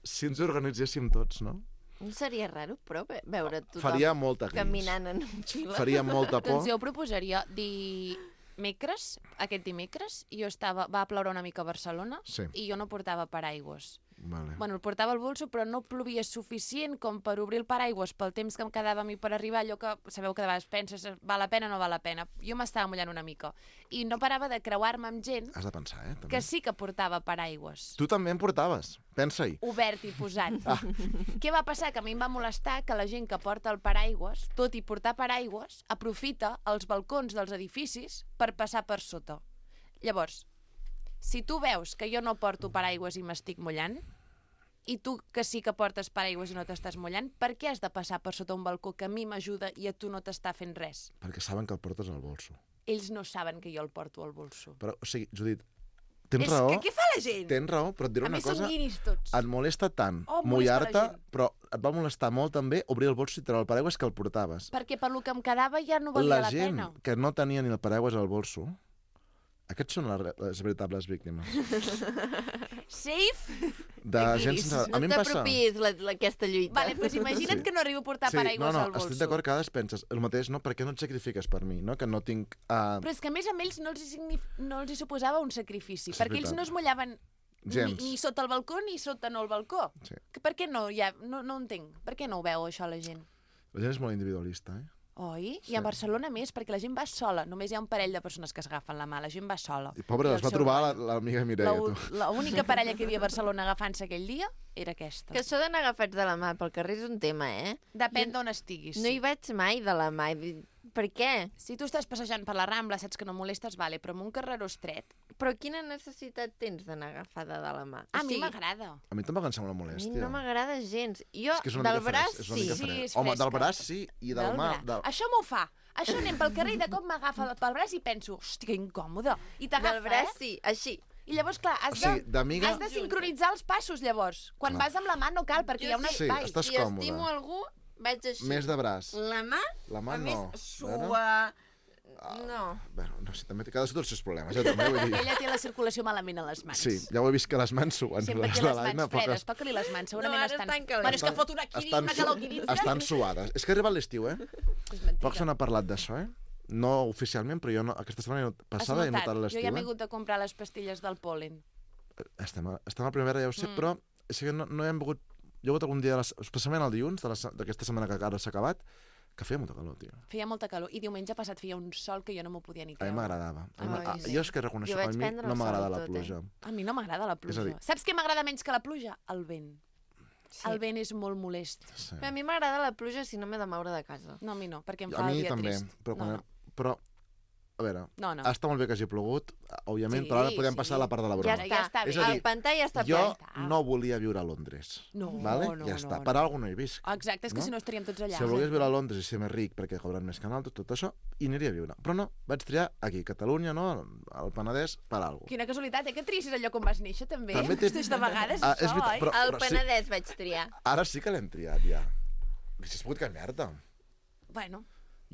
si ens organitzéssim tots, no? No seria raro, però, veure tothom Faria molta gris. caminant en fila. Faria molta por. Doncs jo proposaria dimecres, aquest dimecres, jo estava, va ploure una mica a Barcelona sí. i jo no portava paraigües. Vale. Bueno, el portava al bolso, però no plovia suficient com per obrir el paraigües pel temps que em quedava a mi per arribar, allò que sabeu que de vegades penses, val la pena o no val la pena. Jo m'estava mullant una mica. I no parava de creuar-me amb gent Has de pensar, eh? També. que sí que portava paraigües. Tu també en portaves, pensa-hi. Obert i posat. Ah. Què va passar? Que a mi em va molestar que la gent que porta el paraigües, tot i portar paraigües, aprofita els balcons dels edificis per passar per sota. Llavors, si tu veus que jo no porto paraigües i m'estic mullant, i tu que sí que portes paraigües i no t'estàs mullant, per què has de passar per sota un balcó que a mi m'ajuda i a tu no t'està fent res? Perquè saben que el portes al bolso. Ells no saben que jo el porto al bolso. Però, o sigui, Judit, tens És raó. que què fa la gent? Tens raó, però et diré A una més, són cosa. guiris tots. Et molesta tant Oh, molesta la mullar-te, gent. però et va molestar molt també obrir el bolso i treure el paraigües que el portaves. Perquè per lo que em quedava ja no valia La la, gent pena. que no tenia ni el paraigües al bolso, aquests són les, les veritables víctimes. Safe? De gent sense... A No mi em passa... t'apropiïs la- la- aquesta lluita. Vale, doncs imagina't Sí. que no arribo a portar Sí, paraigües no, no, al bolso. estic d'acord que a vegades penses el mateix, no? Per què no et sacrifiques per mi, no? Que no tinc... Uh... Però és que a més a ells no els, hi signif... no els hi suposava un sacrifici, És perquè ells veritat. no es mullaven ni, Gens. ni sota el balcó ni sota no el balcó. Sí. Que per què no? Ja, no, no entenc. Per què no ho veu, això, la gent? La gent és molt individualista, eh? Oi? Sí. I a Barcelona més, perquè la gent va sola. Només hi ha un parell de persones que s'agafen la mà. La gent va sola. I pobre, I les el va seu trobar rotllo. la- l'amiga Mireia, tu. L'única parella que hi havia a Barcelona agafant-se aquell dia era aquesta. Que això d'anar agafats de la mà pel carrer és un tema, eh? Depèn d'on estiguis. No hi vaig mai de la mà. i dic, Per què? Si tu estàs passejant per la Rambla, saps que no molestes, vale, però en un carreró estret... Però quina necessitat tens d'anar agafada de la mà? A O mi sigui, m'agrada. A mi tampoc em sembla A mi molèstia. no m'agrada gens. Jo, És que és una del mica braç, fresc, és una sí. mica Sí, fresc. és Home, del fresca. braç sí, i del, mà... bra- Del... Això m'ho fa. Això anem pel carrer i de cop m'agafa pel braç i penso, hosti, que incòmode. I t'agafa, Del braç, eh? sí, així. I llavors, clar, has, O sigui, de, d'amiga- has de sincronitzar els passos, llavors. Quan Clar. vas amb la mà no cal, perquè hi ha un Sí, espai. estàs Si còmode. estimo algú, vaig així. Més de braç. La mà, La mà a no. més, Veure? sua... No. Bueno, no sé, també cadascú té els seus problemes, ja també, vull dir... Ella té la circulació malament a les mans. Sí, ja ho he vist que les mans suen. Sempre les té de les l'Aina, mans però que fredes. Toca-li les mans, segurament No, ara estan... estan calentes. Bueno, és que fot una quirina, estan, una su... calauquirina. estan suades. És que ha arribat l'estiu, eh? És mentida. Poc se n'ha parlat d'això, eh? No oficialment, però jo no, aquesta setmana he not- passada he Has notat Jo l'estiu, ja m'he eh? hagut de comprar les pastilles del pol·len. Estem a, estem a primavera, ja ho sé, Mm. però és que no, no hem volgut... Jo he hagut algun dia, de la, especialment el dilluns de la se- d'aquesta setmana que ara s'ha acabat, que feia molta calor, tio. Feia molta calor. I diumenge passat feia un sol que jo no m'ho podia ni A mi creure. m'agradava. A mi Ai, m'a- sí. Jo és que reconeixo Jo que a vaig mi prendre no el m'agrada sol i la tot, pluja. A mi no m'agrada la És a pluja. dir- Saps què m'agrada menys que la pluja? El vent. Sí. El vent és molt molest. Sí. A mi m'agrada la pluja si no m'he de moure de casa. No, a mi no, perquè em A fa el mi dia també, trist. però, quan no, he- no. però a veure, No, no. està molt bé que hagi plogut, òbviament, Sí, però ara podem sí. passar a la part de la Ja broma. està. Ja està És bé. a dir, El pantà ja està jo ple. està. no volia viure a Londres. No, vale? no, ja no, està. no. Per alguna no hi visc. Exacte, és que no? si no estaríem tots allà. Si volgués viure a Londres i ser més ric perquè cobren més que nosaltres, tot això, hi aniria a viure. Però no, vaig triar aquí, Catalunya, no? Al Penedès, per alguna cosa. Quina casualitat, eh? Que tristis allò com vas néixer, també. També té- Hosti, de vegades, Ah, és això, veritat, oi? però- Al sí. Penedès vaig triar. Ara sí que l'hem triat, ja. Si has pogut canviar-te. Bueno,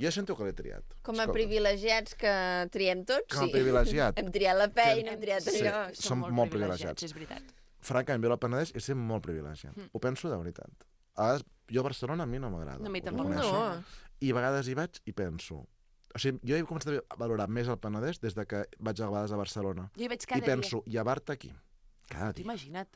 Jo sento que l'he triat. Com a Escolta, privilegiats que triem tots, Com a sí. privilegiat. Hem triat la feina, hem triat Sí. allò. Som molt privilegiats. És veritat. Francament, viure al Penedès és ser molt privilegiat. Mm. Ho penso de veritat. A vegades, jo a Barcelona a mi no m'agrada. No, a mi ho tampoc. reconeixo. No. I a vegades hi vaig i penso... O sigui, jo he començat a valorar més el Penedès des de que vaig a vegades a Barcelona. Jo hi vaig cada I penso, llevar-te aquí. Cada dia. dia. Imagina't,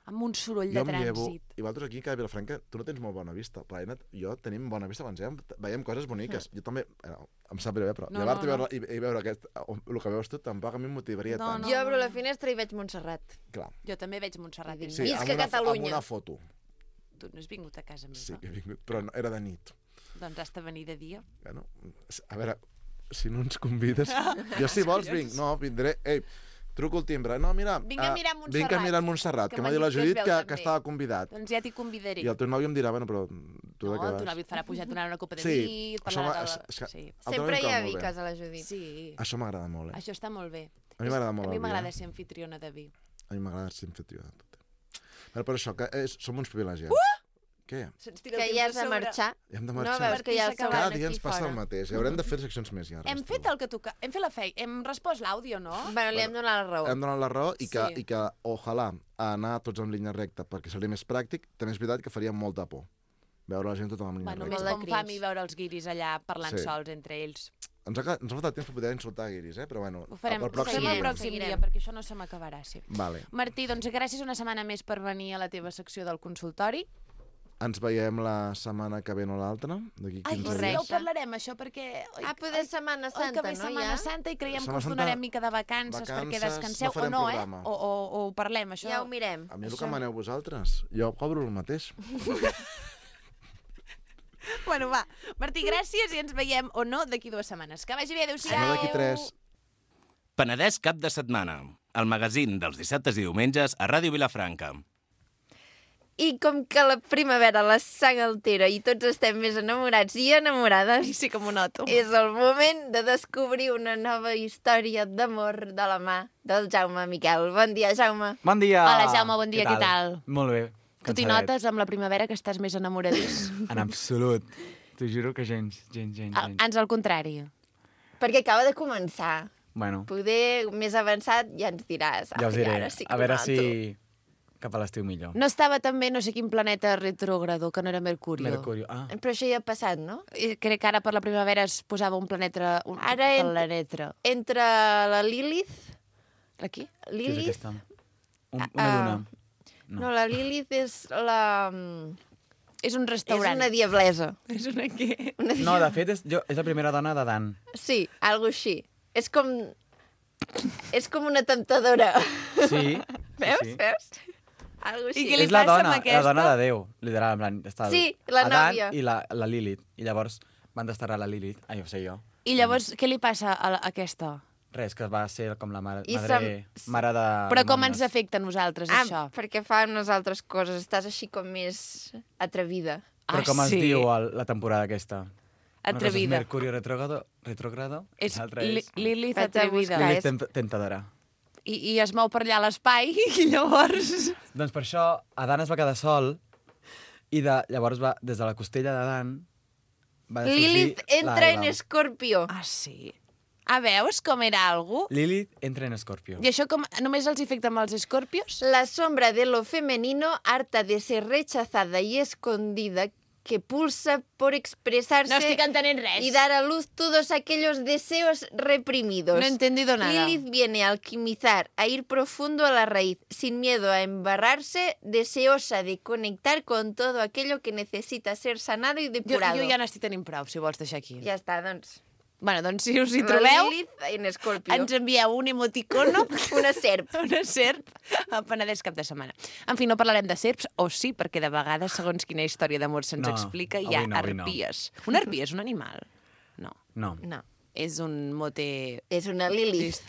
amb un soroll Jo de em llevo... trànsit. I vosaltres aquí, que a Vilafranca, tu no tens molt bona vista. Però Aina, jo tenim bona vista quan veiem, veiem coses boniques. Jo també... Eh, em sap greu, eh, però No, llevar-te no, i, veure, i, i veure aquest, el que veus tu tampoc a mi em motivaria No, tant. no. Jo obro la finestra i veig Montserrat. Clar. Jo també veig Montserrat. Sí, dins. Sí, Visca amb una, Catalunya. amb una foto. Tu no has vingut a casa meva. Sí que he vingut, però no, era de nit. Doncs has de venir de dia. Bueno, a veure, si no ens convides... Jo si vols vinc, no, vindré... Ei, truco el timbre. No, mira... Vinc a ah, mirar Montserrat. Vinc a mirar Montserrat, que, Que m'ha m'ha dit la dit que es Judit veu que, també. que estava convidat. Doncs ja t'hi convidaré. I el teu nòvio em dirà, bueno, però tu No, de què el vas? teu nòvio et farà pujar, et donarà una copa de Sí, vi, et això parlarà m'ha- de... és- és que- Sí. El teu Sempre nòvio hi em ha cau molt bé. viques a la Judit. Sí. Això m'agrada molt, eh? Això està molt bé. A mi m'agrada molt A mi el vi, m'agrada eh? ser anfitriona de vi. A mi m'agrada ser anfitrió de tot. Però per això, que és, som uns privilegiats. Uh! Què? Se'ns tira el Que temps ja a has de sobre. marxar. Ja hem de No, marxar. veus que ja Cada Cada s'acaben dia aquí ens passa fora. el mateix. I haurem de fer seccions més llargues. Hem tu. fet el que toca. Hem fet la feina. Hem respost l'àudio, no? Bueno, li hem donat la raó. Hem donat la raó i que, Sí. i que ojalà anar tots en línia recta perquè seria més pràctic, també és veritat que faria molta por veure la gent tota en línia Bueno, recta. més Molt de com fa a mi cringe. veure els guiris allà parlant Sí. sols entre ells. Ens ha, ens ha faltat temps per poder insultar guiris, eh? Però bueno, Ho farem, el ho farem pròxim el dia. pròxim Seguirem. dia, perquè això no se m'acabarà, sí. Vale. Martí, doncs gràcies una setmana més per venir a la teva secció del consultori. Ens veiem la setmana que ve o l'altra, d'aquí Ai, quinze sí, dies. ja ho parlarem, això, perquè... Oi, Ah, poder Setmana oi, que Santa, ve no? Setmana Ja? Santa i creiem Setmana que us Santa, donarem mica de vacances, perquè vacances, descanseu, no farem o no, eh? programa. O, o, o ho parlem, això. Ja ho mirem. A mi el Això- que maneu vosaltres. Jo cobro el mateix. Bueno, va. Martí, gràcies i ens veiem, o no, d'aquí dues setmanes. Que vagi bé, adéu-siau. No d'aquí tres. Penedès cap de setmana. El magazín dels dissabtes i diumenges a Ràdio Vilafranca. I com que la primavera la sang altera i tots estem més enamorats i enamorades... I sí que m'ho noto. És el moment de descobrir una nova història d'amor de la mà del Jaume Miquel. Bon dia, Jaume. Bon dia! Hola, Jaume, bon dia, què tal? Molt bé. Tu t'hi cansadet. notes amb la primavera que estàs més enamoradís? En absolut. T'ho juro que gens, gens, gens, Al- gens. Ans al contrari. Perquè acaba de començar. Bueno, Poder més avançat ja ens diràs. ja us Ai, diré. ara sí que A veure ho si noto. cap a l'estiu millor. No estava també no sé quin planeta retrògrado, que no era Mercurio. Mercurio. Ah, Però això ja ha passat, no? I crec que ara per la primavera es posava un planeta... Un Ara en- planeta. Entre la Lilith... Aquí? què és Lilith... aquesta? Un, una Ah, lluna. No. no, la Lilith és la... És un És restaurant. una diablesa. És una què? Una No, de fet, és, jo, és la primera dona de Dan. Sí, algo així. És com... És com una temptadora. Sí. Veus? sí. Veus? Algo així. I què li és la passa dona, amb aquesta? la dona de Déu, literal. En plan, està el Sí, la Adán nòvia. i la, la Lilith. I llavors van desterrar la Lilith. Ai, ho sé jo. I llavors, què li passa a, la, a aquesta? Res, que va ser com la mare, I madre, sem- mare de... Però com nòmines. ens afecta a nosaltres, Ah, això? perquè fa unes altres coses. Estàs així com més atrevida. Però Ah, com es sí? diu el, la temporada aquesta? Una cosa és Atrevida. Mercurio retrogrado, retrogrado És l'altra li, és Lilith Vaig a atrevida. buscar. Lilith és- tem- tentadora. I, I es mou per allà a l'espai i llavors... Doncs per això Adán es va quedar sol i de, llavors va, des de la costella d'Adán va sorgir Lilith entra la en Eva. Escorpio. Ah, sí? Ah, veus com era algú? Lilith entra en Escorpio. I això com, només els afecta amb els escorpios? La sombra de lo femenino, harta de ser rechazada y escondida, que pulsa por expresarse No estic entenent res. y dar a luz todos aquellos deseos reprimidos. No he entendido nada. Lilith viene a alquimizar, a ir profundo a la raíz, sin miedo a embarrarse, deseosa de conectar con todo aquello que necesita ser sanado y Jo, depurado. jo ja n'estic tenint prou, si vols deixar aquí. Ja està, doncs. Bueno, doncs si us hi La trobeu, Lilith en Escorpio. ens envieu un emoticono, Una serp. una serp, a Penedès cap de setmana. En fi, no parlarem de serps, o sí, perquè de vegades, segons quina història d'amor se'ns No, explica, hi avui ha no, avui no. arpies. Una arpia és un animal? No. No. No, És un mote... és una Lilith.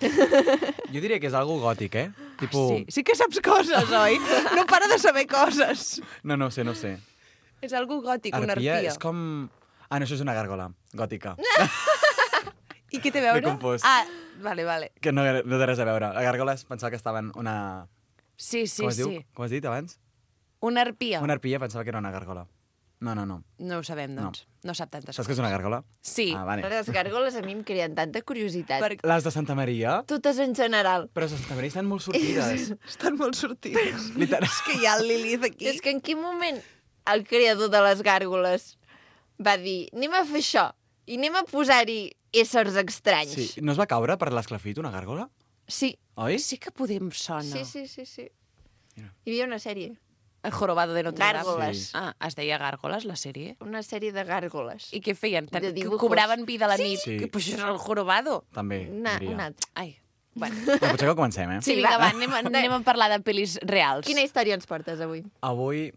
Jo diria que és algo gòtic, eh? Tipo... Sí, sí que saps coses, oi? No para de saber coses. No, no ho sé, no ho sé. És algo gòtic, una Arpia arpia. és com... Ah, no, això és una gàrgola gòtica. I què té a veure? M'he confós. Ah, vale, vale. Que no, no té res a veure. La gàrgola es pensava que estava en una... Sí, sí, Com es sí. diu? Com has dit abans? Una arpia. Una arpia pensava que era una gàrgola. No, no, no. No ho sabem, doncs. No, no sap tantes Saps què és una gàrgola? Sí. Ah, vale. Les gàrgoles a mi em creen tanta curiositat. Per... Les de Santa Maria? Totes en general. Però les de Santa Maria estan molt sortides. Estan molt sortides. Literal. És que hi ha el Lilith aquí. És que en quin moment el creador de les gàrgoles va dir anem a fer això i anem a posar-hi éssers estranys. Sí. No es va caure per l'esclafit una gàrgola? Sí. Oi? Sí que podem sona. Sí, sí, sí, sí. Mira. Hi havia una sèrie. El jorobado de Notre Dame. Gàrgoles. Sí. Ah, es deia Gàrgoles, la sèrie? Una sèrie de gàrgoles. I què feien? Tant, De que dibujos. cobraven vida a la Sí. nit? Sí. Que, pues això és el jorobado. També, Una, diria. una altra. Ai, bueno. No, potser que comencem, eh? Sí, Sí, vinga, va. va, anem, a- anem a parlar de pel·lis reals. Quina història ens portes avui? Avui...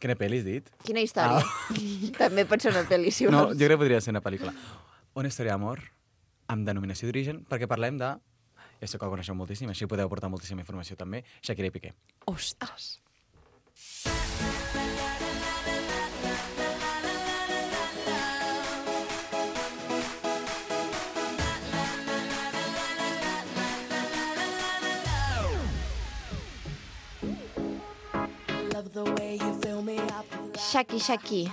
Quina pel·li has dit? Quina història? També pot ser una pel·li, si No, vols. jo crec que podria ser una pel·lícula. Una història d'amor amb denominació d'origen, perquè parlem de... Ja sé que el coneixeu moltíssim, així podeu aportar moltíssima informació també. Shakira i Piqué. Ostres. Shaki, Shaki.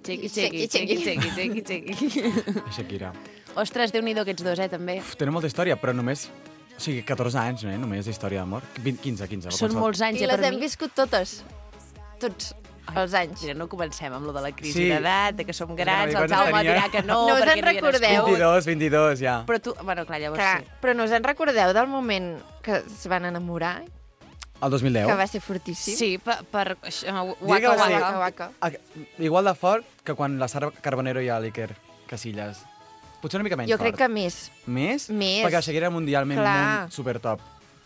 Xequi, Xequi, xequi, xequi. xequi, xequi, xequi. Shakira. Ostres, déu-n'hi-do aquests dos, eh, també. Uf, tenen molta història, però només... O sigui, catorze anys, eh? Només d'història d'amor. vint, quinze, quinze. Són molts anys, I eh, les per hem mi. viscut totes. Tots els anys. Mira, no comencem amb lo de la crisi Sí. d'edat, de que som que grans, no, el Jaume tenia- dirà que no, No us perquè en no hi havia recordeu? nascut. vint-i-dos, vint-i-dos, ja. Però tu... Bueno, clar, llavors Clar, sí. però no us en recordeu del moment que es van enamorar? El dos mil deu. Que va ser fortíssim. Sí, per... per això, Diria que waka, va ser- waka. Waka, waka. Ah, igual de fort que quan la Sara Carbonero i l'Iker Casillas. Potser una mica menys Jo fort. crec que més. Més? Més. Perquè la Shakira era mundialment Clar. molt supertop.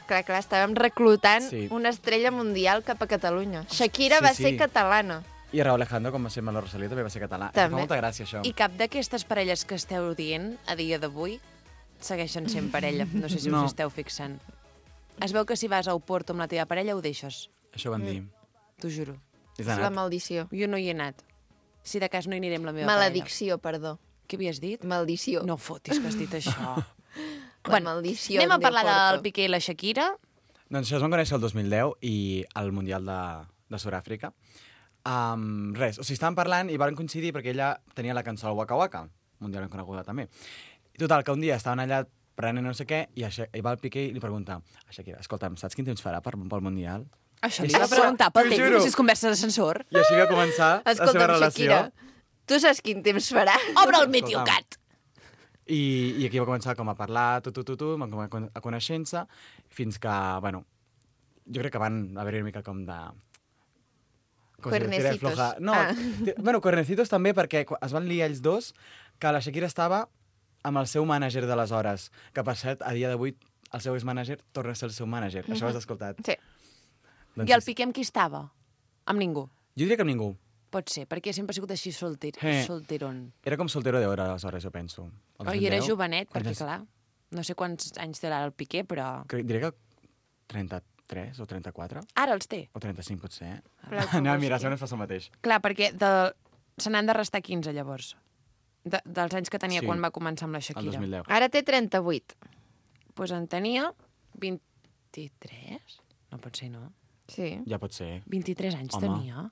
Clar, clar, estàvem reclutant Sí. una estrella mundial cap a Catalunya. Shakira Sí, va sí. ser catalana. I Raúl Alejandro, com va ser amb la Rosalía, també va ser català. També. Fa molta gràcia, això. I cap d'aquestes parelles que esteu dient a dia d'avui segueixen sent parella. No sé si No. us esteu fixant. Es veu que si vas a Oporto amb la teva parella ho deixes. Això van dir. t'ho juro. És És la anat. maldició. Jo no hi he anat. Si de cas no hi aniré amb la meva Maledicció, perdó. parella. Què havies dit? Maldició. No fotis que has dit això. La maldició Anem a de parlar Porto. del Piqué i la Shakira. Doncs això es van conèixer el dos mil deu i al Mundial de, de Sud-àfrica. Um, res, o sigui, estaven parlant i van coincidir perquè ella tenia la cançó al Waka Waka, mundialment coneguda també. I total, que un dia estaven allà prenent no sé què i, això, i va el Piqué i li pregunta a Shakira, escolta'm, saps quin temps farà per, pel Mundial? Això I li va això- preguntar pel t'ho temps, juro. si és conversa d'ascensor. I així va començar la seva Escolta'm, relació. Shakira, tu saps quin temps farà? Obre el Meteocat! I, I aquí va començar com a parlar, tu, tu, tu, tu, van com a, con- a conèixer-se, fins que, bueno, jo crec que van haver-hi una mica com de... com si Cuernecitos. tira floja. No, Ah. t- bueno, cuernecitos també, perquè quan es van liar ells dos, que la Shakira estava amb el seu mànager d'aleshores, que per cert, a dia d'avui, el seu ex-mànager torna a ser el seu mànager. Això ho has escoltat? Sí. Doncs I el sí. Piqué amb qui estava? Amb ningú. Jo diria que amb ningú. Pot ser, perquè sempre ha sigut així solter, Eh. solteron. Era com soltero d'hora, aleshores, jo penso. El Oh, I era dos mil deu, jovenet, quan perquè és- clar, no sé quants anys té ara el Piqué, però... Crec- Diria que trenta-tres o trenta-quatre. Ara els té. O trenta-cinc, potser. Però Eh? com Anem a vols mirar, que- segons fa el mateix. Clar, perquè de... se n'han de restar quinze, llavors. De, dels anys que tenia Sí. quan va començar amb la El Shakira. dos mil deu. Ara té trenta-vuit. Doncs pues en tenia vint-i-tres? No pot ser, no? Sí, Ja pot ser. vint-i-tres anys Home. tenia.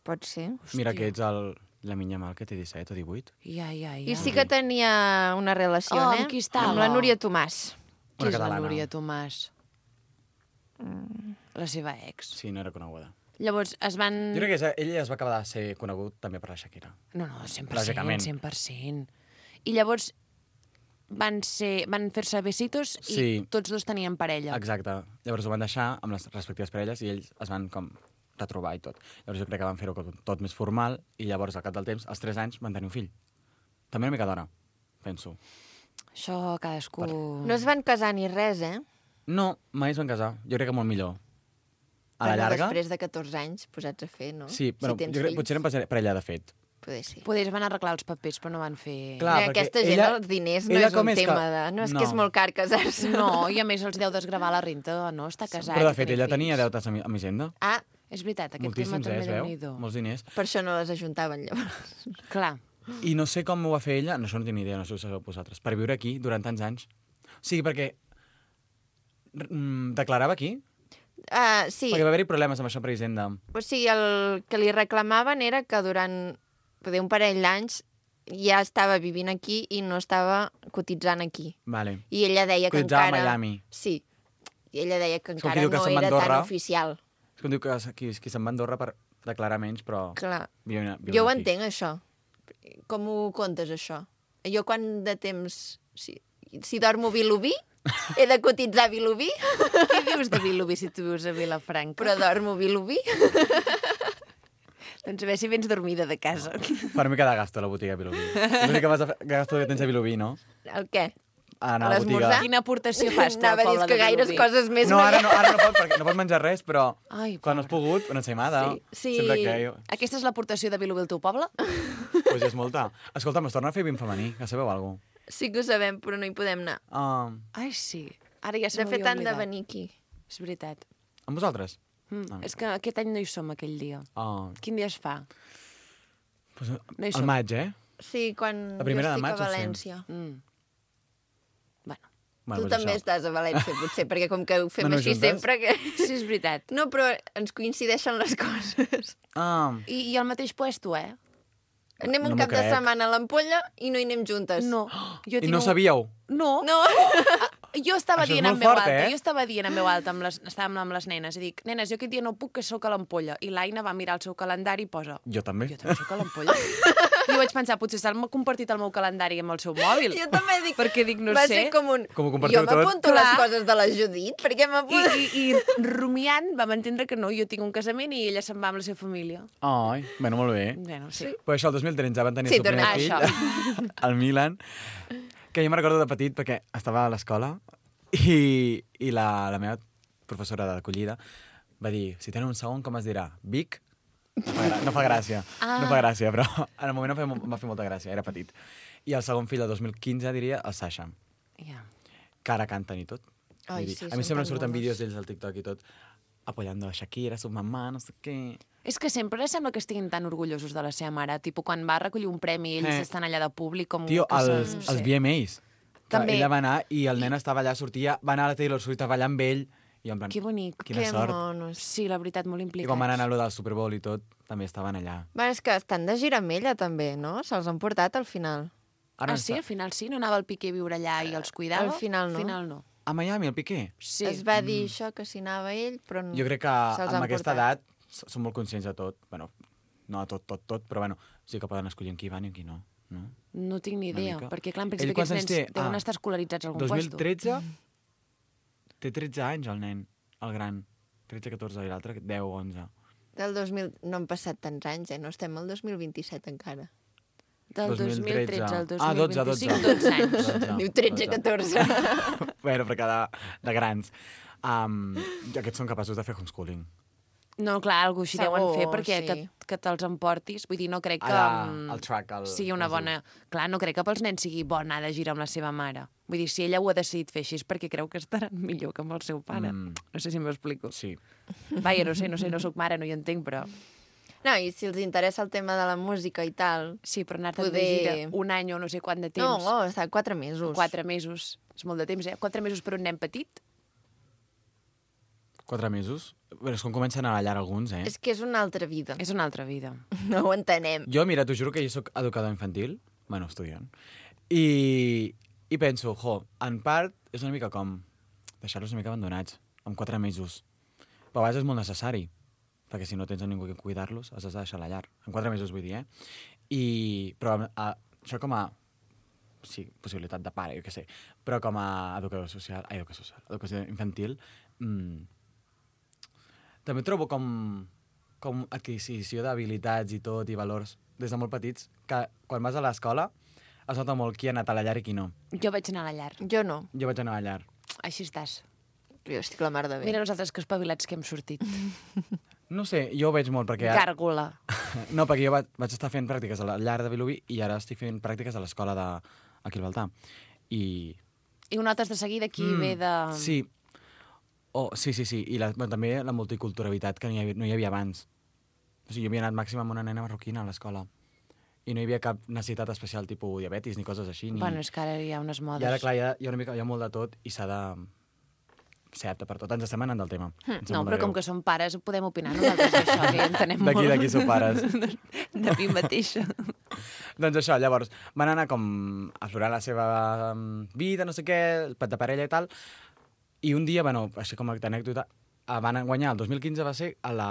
pot ser. Mira que ets el, la minya mal que té disset o divuit. Ja, ja, ja. I sí que tenia una relació, Oh, eh? amb qui estava? Amb la Núria Tomàs. Qui Una és la catalana. Núria Tomàs? La seva ex. Sí, no era coneguda. Llavors es van... Jo crec que és- ell es va acabar de ser conegut també per la Shakira. No, no, cent per cent, Lògicament. cent per cent. I llavors van, ser, van fer-se besitos i Sí. tots dos tenien parella. Exacte. Llavors ho van deixar amb les respectives parelles i ells es van com retrobar i tot. Llavors jo crec que van fer-ho com tot més formal i llavors al cap del temps, als tres anys, van tenir un fill. També una mica d'hora, penso. Això cadascú... No es van casar ni res, eh? No, mai es van casar. Jo crec que molt millor. A la Bueno, llarga... després de catorze anys posats a fer, no? Sí, bueno, si tens jo crec, fills, potser eren pare- parella de fet. poder ser. Poder van arreglar els papers, però no van fer... Clar, Mira, perquè aquesta gent, ella- els diners no ella és com un és que- tema de... No, és No. que és molt car casar-se. No, i a més els deu desgravar la renta, no? Està casat. Però de i fet, tenir ella tenia fills. deutes amb, amb Hisenda. Ah, És veritat, aquest Moltíssims, tema eh, també es déu veu? nhi Molts diners. per això no les ajuntaven, llavors. Clar. I no sé com ho va fer ella, no, això no tinc ni idea, no sé si ho sabeu vosaltres, per viure aquí durant tants anys. O sigui, perquè mm, declarava aquí, Uh, sí, perquè va haver-hi problemes amb això per Hisenda. o sigui, el que li reclamaven era que durant poder un parell d'anys ja estava vivint aquí i no estava cotitzant aquí. Vale. I ella deia que Cotitzava a encara... Miami. Sí. I ella deia que És com encara qui diu que no se'n va a era tan Andorra. oficial. És com diu que qui, qui se'n va a Andorra per declarar menys, però... Clar. Viuen, viuen Jo ho aquí. entenc, això. Com ho comptes, això? Jo quan de temps... Si, si dormo Vilobí, he de cotitzar Vilobí, Què dius de Vilobí si tu vius a Vilafranca? però dormo Vilobí. Doncs a veure si vens dormida de casa. Fa una mica de gasto a la botiga Vilobí. L'únic que vas a fer, gasto que tens a Vilobí, no? El què? A anar A a la l'esmorzar? botiga. Quina aportació fas tu al Anava a dir poble que de gaires Vilobí? coses més No, ara no, m'agrada. ara no pot, perquè no pot menjar res, però Ai, quan has pogut, una ensaïmada. Sí, sí. Sempre que jo... Aquesta és l'aportació de Vilobí al teu poble? Pues és molta. Escolta'm, es torna a fer vint femení, ja sabeu alguna cosa? Sí que ho sabem, però no hi podem anar. Uh, Ai, sí. Ara ja se De fet, m'havia han de oblidat. venir aquí. És veritat. amb vosaltres? Mm. Ah. És que aquest any no hi som, aquell dia. Oh, Quin dia es fa? pues, No hi al som. maig, eh? Sí, quan La primera jo de estic maig, a o sí? València. Mm. Bueno. Bueno, tu pues també això. estàs a València, potser, perquè com que ho fem Bueno, així juntes. sempre... Que... Sí, és veritat. No, però ens coincideixen les coses. Ah, I, i al mateix puesto, eh? Anem un No m'ho cap de crec. setmana a l'Ampolla i no hi anem juntes. No. Jo I tinc no un- sabíeu? No. No. Jo estava Això és dient en molt veu fort, alta, eh? jo estava dient en veu alta, amb les, estàvem amb les nenes, i dic, nenes, jo aquest dia no puc, que sóc a l'Ampolla. I l'Aina va mirar el seu calendari i posa, Jo també. jo també sóc a l'Ampolla. I jo vaig pensar, potser s'ha compartit el meu calendari amb el seu mòbil. Jo també dic... Perquè dic, no va sé. ser com un... Com ho compartiu jo tot? m'apunto Clar. les coses de la Judit, perquè I, m'apunto... i, I rumiant vam entendre que no, jo tinc un casament i ella se'n va amb la seva família. Ai, bueno, molt bé. Bueno, sí. Però això, el dos mil tretze van tenir Sí, el seu primer tornem fill, al Milan, que jo me'n recordo de petit perquè estava a l'escola i, i la, la meva professora d'acollida va dir, si tenen un segon, com es dirà? Vic? No fa, gra no fa gràcia, Ah. no fa gràcia, però en el moment em va fer, em va fer molta gràcia, era petit. I el segon fill, el dos mil quinze, diria, el Sasha, Ja. que ara canten i tot. Ai, Vull dir, sí, a mi són sempre em tan surten monos. vídeos d'ells al TikTok i tot. apoyando a Shakira, su mamà, no sé què... És que sempre sembla que estiguin tan orgullosos de la seva mare. Tipo, quan va recollir un premi, ells Eh. estan allà de públic com... Tio, que els, són- els sí. V M As. Que També. ella va anar i el nen estava allà, sortia, va anar a la Taylor Swift a ballar amb ell, i en plan, Que bonic. quina sort. monos. Sí, la veritat, molt I implicats. quan van anar a lo del Super Bowl i tot, també estaven allà. Bueno, és que estan de gira amb ella, també, no? Se'ls han portat al final. Ara Ah, sí? Al final sí? No anava el Piqué a viure allà i els cuidava? Al final no. Al final no. A Miami, el Piqué? Sí. Es va dir això, que si anava ell, però no. Jo crec que se'ls amb han aquesta portat. edat s- són molt conscients de tot. Bueno, no de tot, tot, tot, però bueno, sí que poden escollir en qui van i en qui no. no? No tinc ni Una idea, mica. perquè clar, en Ell principi quants aquests anys nens té? deuen Ah, estar escolaritzats a algun dos mil puesto. tretze? Té tretze anys, el nen, el gran. tretze, catorze, i l'altre deu, onze. Del dos mil... No han passat tants anys, eh? No estem al dos mil vint-i-set encara. Del dos mil tretze al dos mil Ah, dotze, vint-i-cinc, dotze. dotze anys. dotze, Diu tretze, dotze. catorze. Bueno, però que de, de grans. Um, aquests són capaços de fer homeschooling. No, clar, algú així Segur, deuen fer perquè sí. que, que te'ls emportis. Vull dir, no crec que Allà, mm, al track, al- sigui una al bona... Clar, no crec que pels nens sigui bo anar de gira amb la seva mare. Vull dir, si ella ho ha decidit fer així és perquè creu que estaran millor que amb el seu pare. Mm. No sé si m'explico. Sí. Vaja, no sé, no sé, no sóc mare, no hi entenc, però... No, i si els interessa el tema de la música i tal... Sí, però anar-te'n Poder- de gira un any o no sé quant de temps... No, oh, està quatre mesos. Quatre mesos. És molt de temps, eh? Quatre mesos per un nen petit? Quatre mesos? Però és com comencen a la llar alguns, eh? És que és una altra vida. És una altra vida. No ho entenem. Jo, mira, t'ho juro que jo sóc educador infantil, bueno, estudiant, i, i penso, jo, en part és una mica com deixar-los una mica abandonats, amb quatre mesos. Però a vegades és molt necessari, perquè si no tens a ningú que cuidar-los, els has de deixar a la llar. En quatre mesos, vull dir, eh? I, però a, això com a sí, possibilitat de pare, jo què sé, però com a educador social, ai, educació social, educació infantil, mmm, també trobo com, com adquisició d'habilitats i tot, i valors, des de molt petits, que quan vas a l'escola es nota molt qui ha anat a la llar i qui no. Jo vaig anar a la llar. Jo no. Jo vaig anar a la llar. Així estàs. Jo estic la mar de bé. Mira nosaltres que espavilats que hem sortit. No sé, jo ho veig molt perquè... Gàrgola. No, perquè jo vaig, vaig estar fent pràctiques a la llar de Vilobí i ara estic fent pràctiques a l'escola de... aquí al Baltà. I... I ho notes de seguida qui mm, ve de... Sí. Oh, sí, sí, sí. I la, bueno, també la multiculturalitat que no hi, havia, no hi havia abans. O sigui, jo havia anat màxim amb una nena marroquina a l'escola. I no hi havia cap necessitat especial, tipus diabetis ni coses així. Ni... Bueno, és que ara hi ha unes modes. I ara, clar, hi ha, hi ha, una mica, hi ha molt de tot i s'ha de ser apte per tot. Ens estem anant del tema. Hm, no, però com que som pares podem opinar nosaltres d'això, que ja entenem molt. D'aquí, d'aquí sou pares. De mi mateixa. Doncs això, llavors, van anar com a aflorar la seva um, vida, no sé què, el pet de parella i tal, i un dia, bueno, així com a anècdota, eh, van guanyar, el dos mil quinze va ser a la,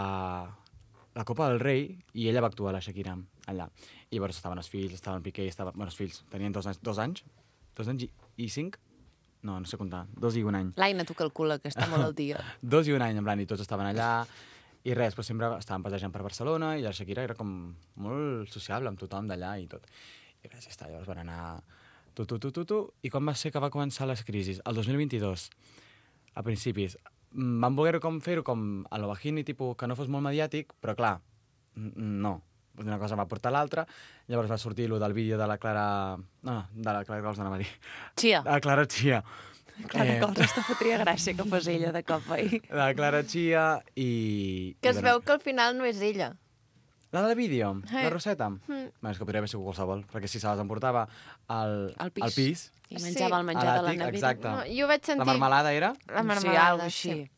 la Copa del Rei, i ella va actuar, la Shakira, allà. I llavors estaven els fills, estaven Piqué, estaven... Bueno, els fills tenien dos anys, dos anys, dos anys i, i cinc? No, no sé comptar, dos i un any. L'Aina t'ho calcula, que està molt al dia. Dos i un any, en plan, i tots estaven allà, i res, però sempre estaven passejant per Barcelona, i la Shakira era com molt sociable amb tothom d'allà i tot. I res, ja està, llavors van anar tu, tu, tu, tu, tu, i quan va ser que va començar les crisis? El dos mil vint-i-dos, a principis. Mm, Van voler com fer-ho com a lo bajini, tipus, que no fos molt mediàtic, però clar, n- no. Una cosa va portar l'altra, llavors va sortir lo del vídeo de la Clara... No, no, de la Clara Cols, anava a dir. Chia. De la Clara Chia. Clara Eh, Cols, està fotria gràcia que fos ella de cop ahir. De la Clara Chia i... Que i es bueno, veu que al final no és ella. La del vídeo? Eh. La Roseta? Mm. Bueno, és que podria haver sigut qualsevol, perquè si se les emportava al, Al pis. al pis I menjava el menjar a de la l'àtic, nevera. exacte. No, jo vaig sentir... La marmelada era? La Sí, marmelada, algo així. sí.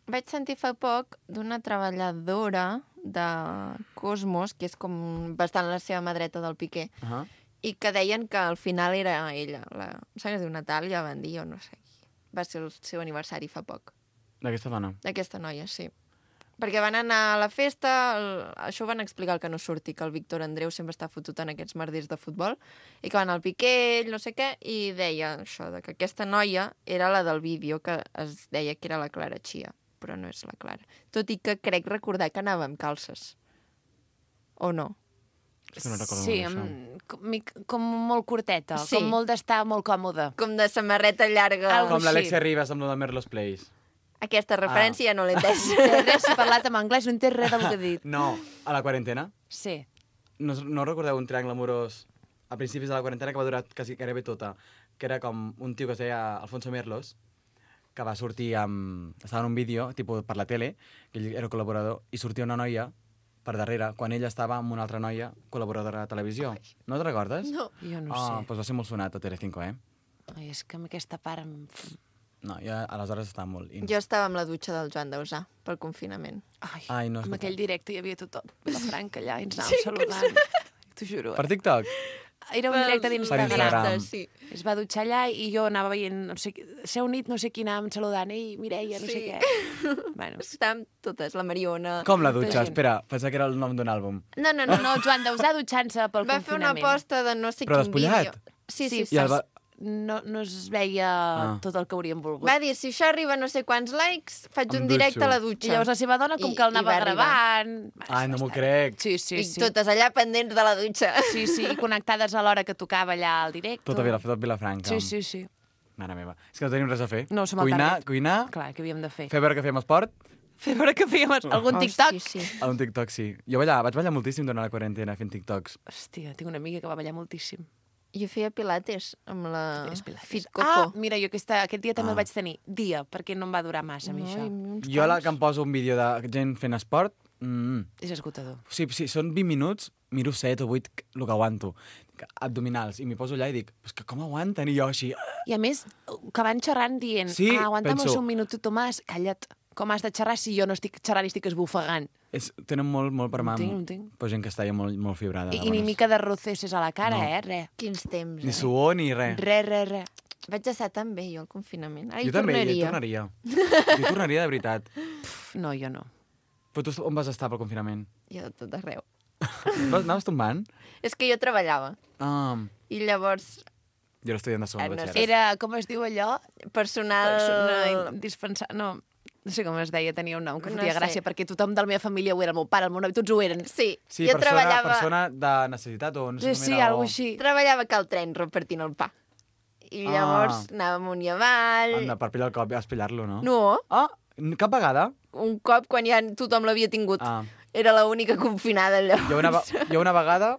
Vaig sentir fa poc d'una treballadora de Cosmos, que és com bastant la seva mà dreta del Piqué, Uh -huh. i que deien que al final era ella. La... Em sembla que es diu Natàlia, van dir, o no sé. Va ser el seu aniversari fa poc. D'aquesta dona. D'aquesta noia, sí. Perquè van anar a la festa, el... això ho van explicar el que no surti, que el Víctor Andreu sempre està fotut en aquests merders de futbol, i que van al Piqué, ell no sé què, i deia això, de que aquesta noia era la del vídeo, que es deia que era la Clara Chia, però no és la Clara. Tot i que crec recordar que anava amb calces. O no? És que no recordo Sí, molt això. amb, com, mic- com molt curteta, Sí. com molt d'estar molt còmode. Com de samarreta llarga. Algo Com l'Alexia així. Ribas amb lo de Merlos Place. Aquesta referència ja no l'he entès. Té res, si ha parlat en anglès, no entès res del que ha dit. No, a la quarantena. Sí. No, no recordeu un triangle amorós a principis de la quarantena que va durar quasi gairebé tota, que era com un tio que es deia Alfonso Merlos, que va sortir amb... Estava en un vídeo, tipus per la tele, que ell era col·laborador, i sortia una noia per darrere, quan ella estava amb una altra noia col·laboradora de televisió. Ai. No te'n recordes? No. Jo no oh, sé. Doncs va ser molt sonat a Telecinco, eh? Ai, és que amb aquesta part... Em... No, jo aleshores estava molt... In... Jo estava amb la dutxa del Joan Dausà, pel confinament. Ai, Ai no, amb aquell directe hi havia tothom. Vilafranca allà, i ens anàvem sí, saludant. T'ho juro. Per TikTok? Era un directe d'Instagram. Per Instagram. Sí. Es va dutxar allà i jo anava veient, no sé, s'ha unit no sé qui anàvem saludant, ei, Mireia, no sí. sé què. Bueno. Estàvem totes, la Mariona... Com la dutxa? Espera, pensava que era el nom d'un àlbum. No, no, no. No, Joan Dausà dutxant-se pel va confinament. Va fer una aposta de no sé Però quin vídeo. despullat? Sí, sí, sí. I el va... No, no es veia ah. tot el que hauríem volgut. Va dir, si això arriba a no sé quants likes, faig Em un directe dutxo. a la dutxa. I llavors la seva dona com I, que el anava gravant... Ai, no m'ho crec. Sí, sí, I sí. totes allà pendents de la dutxa. Sí, sí, i connectades a l'hora que tocava allà al directe. Tot a Vila, tot Vilafranca. Sí, sí, sí. Mare meva. És que no tenim res a fer. No, som al cuinar, target. cuinar... Clar, què havíem de fer? Fer veure que fèiem esport. Fer veure que fèiem algun TikTok. Hosti, sí. A un TikTok, sí. Jo ballar, vaig ballar moltíssim durant la quarantena fent TikToks. Hòstia, tinc una amiga que va ballar moltíssim. Jo feia pilates amb la Fit Coco. Ah, mira, jo aquesta, aquest dia també Ah. el vaig tenir. Dia, perquè no em va durar massa, a mi, això. Jo la que em poso un vídeo de gent fent esport... Mm. És esgotador. Sí, sí, són vint minuts, miro set o vuit el que aguanto. Abdominals. I m'hi poso allà i dic, pues que com aguanten? I jo així... I a més, que van xerrant dient, Sí, ah, aguanta'm penso- un minut, Tomàs, calla't. Com has de xerrar si jo no estic xerrant i estic esbufegant? És, tenen molt, molt per mà. No tinc, no tinc. Però gent que està ja molt, molt fibrada. I, I ni mica de roceses a la cara, No. eh? Res. Quins temps, Ni eh? suor ni res. Res, res, res. Vaig estar tan bé, jo, al confinament. Ara Jo hi també, tornaria. jo hi tornaria. Jo tornaria de veritat. Pff, no, jo no. Però tu on vas estar pel confinament? Jo de tot arreu. Vas, anaves tombant? És que jo treballava. Ah, I llavors, jo era estudiant de segon Ah, no batxillerat. Era, com es diu allò? personal... Persona indispensable... No, no sé com es deia, tenia un nom que No fotia sé. gràcia, perquè tothom de la meva família ho era, el meu pare, el meu nòvio, tots ho eren. Sí, Sí, jo persona, treballava... persona de necessitat o no sé Sí, com sí, era. algo o- així. Treballava a Cal Tren repartint el pa. I Ah. llavors anava amunt i avall... Anda, per pillar el cop, vas pillar-lo, no? No, Ah, cap vegada? un cop quan ja tothom l'havia tingut. Ah, Era l'única confinada allò. jo una, ve- jo una vegada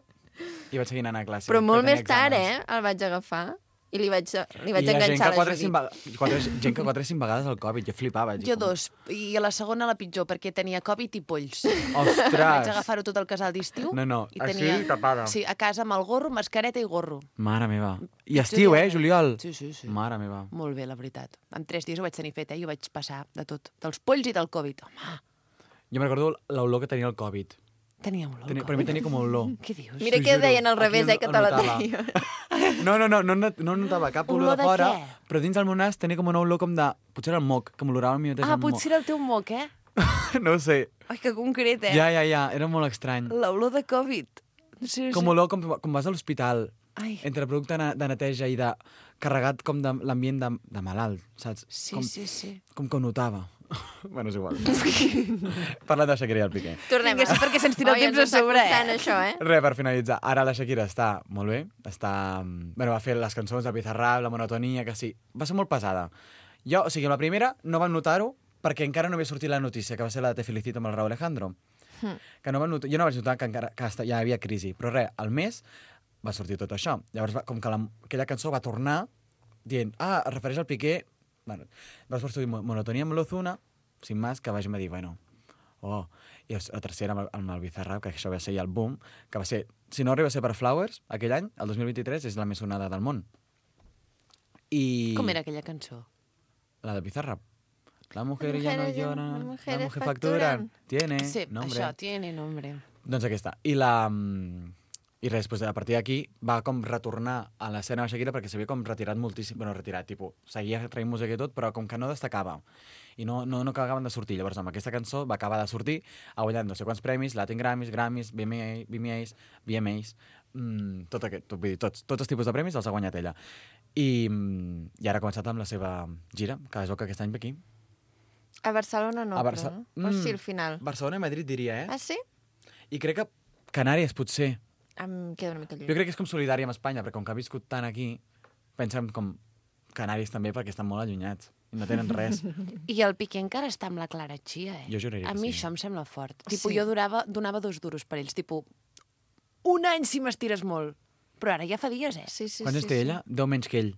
i vaig seguir anant a classe. Però molt que tenia més tard, exàmens. eh? El vaig agafar. I li vaig, li vaig I hi ha gent enganxar que la quatre, Judit. cinc, vega- quatre, gent que quatre cinc vegades el Covid, jo flipava. Jo dos. I a la segona la pitjor, perquè tenia Covid i polls. Ostres! Vaig agafar-ho tot el casal d'estiu. No, no, i així tenia... tapada. Sí, a casa amb el gorro, mascareta i gorro. Mare meva. I estiu, eh, juliol? Sí, sí, sí. Mare meva. Molt bé, la veritat. En tres dies ho vaig tenir fet, eh? I ho vaig passar de tot. Dels polls i del Covid. Home, Jo me'n recordo l'olor que tenia el Covid. tenia olor. Tenia, per mi tenia com olor. Què dius? Mira T'ho què juro. deien al Aquí revés, el- eh, que el te la notava. deia. No, no, no, no, not- no notava cap olor, Olor de de fora, què? però dins del meu nas tenia com una olor com de... Potser era el moc, que m'olorava a mi mateix Ah, el moc. potser era el teu moc, eh? No ho sé. Ai, que concret, eh? Ja, ja, ja, era molt estrany. L'olor de Covid. Sí, Com sí. olor, com, com vas a l'hospital, Ai. entre producte de de neteja i de carregat com de l'ambient de, de malalt, saps? Sí, com, sí, sí. Com que ho notava. Bueno, és igual. Parlant de Shakira i el Piqué. Tornem. Vinga, sí, perquè se'ns tira el Oi, temps ens a sobre, està costant, eh? això, eh? Res, per finalitzar. Ara la Shakira està molt bé. Està... Bueno, va fer les cançons de Bizarrap, la monotonia, que sí. Va ser molt pesada. Jo, o sigui, la primera no vam notar-ho perquè encara no havia sortit la notícia, que va ser la de Te felicito amb el Raúl Alejandro. Hm. Que no vam notar... Jo no vaig notar que encara que esta- ja hi havia crisi. Però res, al mes va sortir tot això. Llavors, va, com que la, aquella cançó va tornar dient, ah, es refereix al Piqué... Bueno, va sortir Mo- monotonia amb l'Ozuna, sin más, que vagin a dir, bueno, oh. I la tercera amb el, amb el Bizarrap, que això va ser ja el boom, que va ser, si no arriba a ser per Flowers, aquell any, el dos mil vint-i-tres, és la més sonada del món. I... Com era aquella cançó? La de Bizarrap. La mujer La ya no mujer ya- llora, la la mujer mujer facturan. facturan. Tiene Sí, nombre. això, tiene nombre. Doncs aquesta. I la... mm, I res, doncs a partir d'aquí va com retornar a l'escena de Shakira perquè s'havia com retirat moltíssim, bueno, retirat, tipus, seguia traient música i tot, però com que no destacava i no, no, no acabaven de sortir. Llavors amb aquesta cançó va acabar de sortir, ha guanyat no sé quants premis, Latin Grammys, Grammys, V M A, V M As, V M As, mm, tot aquest, tot, vull dir, tots, tots els tipus de premis els ha guanyat ella. I, mm, i ara ha començat amb la seva gira, que es veu que aquest any ve aquí. A Barcelona no, A Barça- però, no? O Mm. sí, al final. Barcelona i Madrid, diria, eh? Ah, sí? I crec que Canàries, potser. Em queda una mica lluny. Jo crec que és com solidària amb Espanya, perquè com que ha viscut tant aquí, pensem com Canàries també, perquè estan molt allunyats i no tenen res. I el Piqué encara està amb la Clara Chia, eh? Jo juraria A que mi sí. això em sembla fort. Sí. Tipo, jo donava, donava dos duros per ells. Tipo, un any si m'estires molt. Però ara ja fa dies, eh? Sí, sí, Quants sí, anys té sí. ella? Deu menys que ell.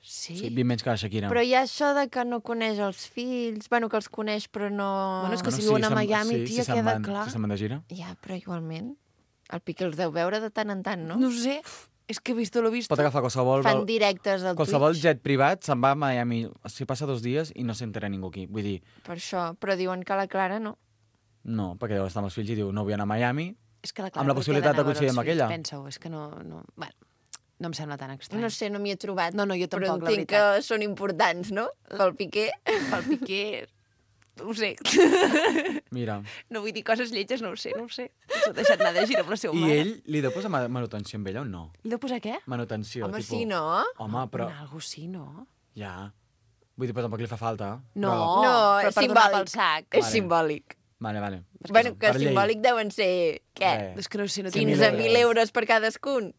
Sí? Sí, vint menys que la Shakira. Però hi ha això de que no coneix els fills, bueno, que els coneix però no... Bueno, és que Bueno, si viuen a se'n- Miami, sí, tia, si se'n queda van- clar. Si se'n van de gira. Ja, però igualment. El Piqué els deu veure de tant en tant, no? No sé, és que he visto lo visto. Pot agafar qualsevol... Fan directes al Qualsevol Twitch. jet privat se'n va a Miami, s'hi passa dos dies i no s'entera ningú aquí. Vull dir, Per això, però diuen que la Clara no. no, perquè deu estar amb els fills i diu, no vull anar a Miami, És que la amb la possibilitat de coincidir amb aquella. Pensa-ho, és que no... no... Bueno, no em sembla tan estrany. No sé, no m'hi he trobat. No, no, jo però tampoc, la entenc veritat. que són importants, no? Pel Piqué. Pel Piqué... No ho sé. Mira. No vull dir coses lletges, no ho sé, no ho sé. S'ha deixat anar de gira amb la seva I mare. ell li deu posar ma- manutenció amb ella o no? Li deu posar què? Manutenció. Home, tipus... sí, no? Home, però... Una algo sí, no? Ja. Vull dir, però tampoc li fa falta. No, Però... No, però és per donar pel simbòlic. sac. És Vale. simbòlic. Vale, vale. Bueno, que Per llei. simbòlic deuen ser, què? Eh. És que no sé, no tinc quinze mil euros per cadascun.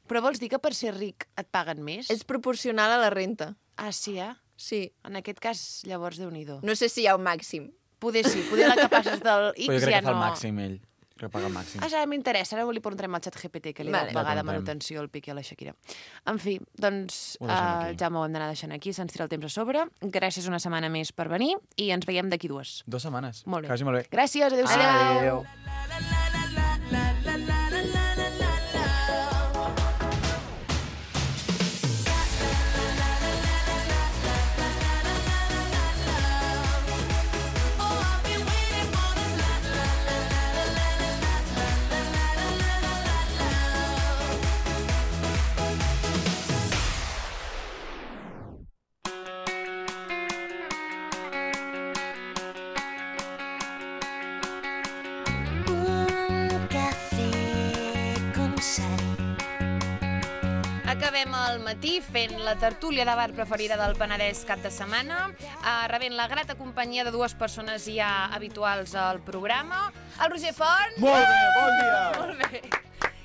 Però vols dir que per ser ric et paguen més? És proporcional a la renta. Ah, sí, eh? Sí. En aquest cas, llavors, Déu-n'hi-do. No sé si hi ha un màxim. Poder sí, poder la que passes del X Però jo crec ja que fa no... el màxim, ell. Crec que paga el màxim. Ah, ja m'interessa. Ara li preguntarem al xat G P T que li Vale. vale. deu pagar de Ja preguntem. manutenció al Piqué a la Shakira. En fi, doncs, Ho deixem uh, aquí. ja m'ho hem d'anar deixant aquí, se'ns tira el temps a sobre. Gràcies una setmana més per venir i ens veiem d'aquí dues. Dues setmanes. Molt bé. Que vagi molt bé. Gràcies, adéu-siau. Adéu. Un café con sal. Acabem el matí fent la tertúlia de bar preferida del Penedès cap de setmana, eh, rebent la grata companyia de dues persones ja habituals al programa. El Roger Font. Molt bé, bon dia. Molt bé.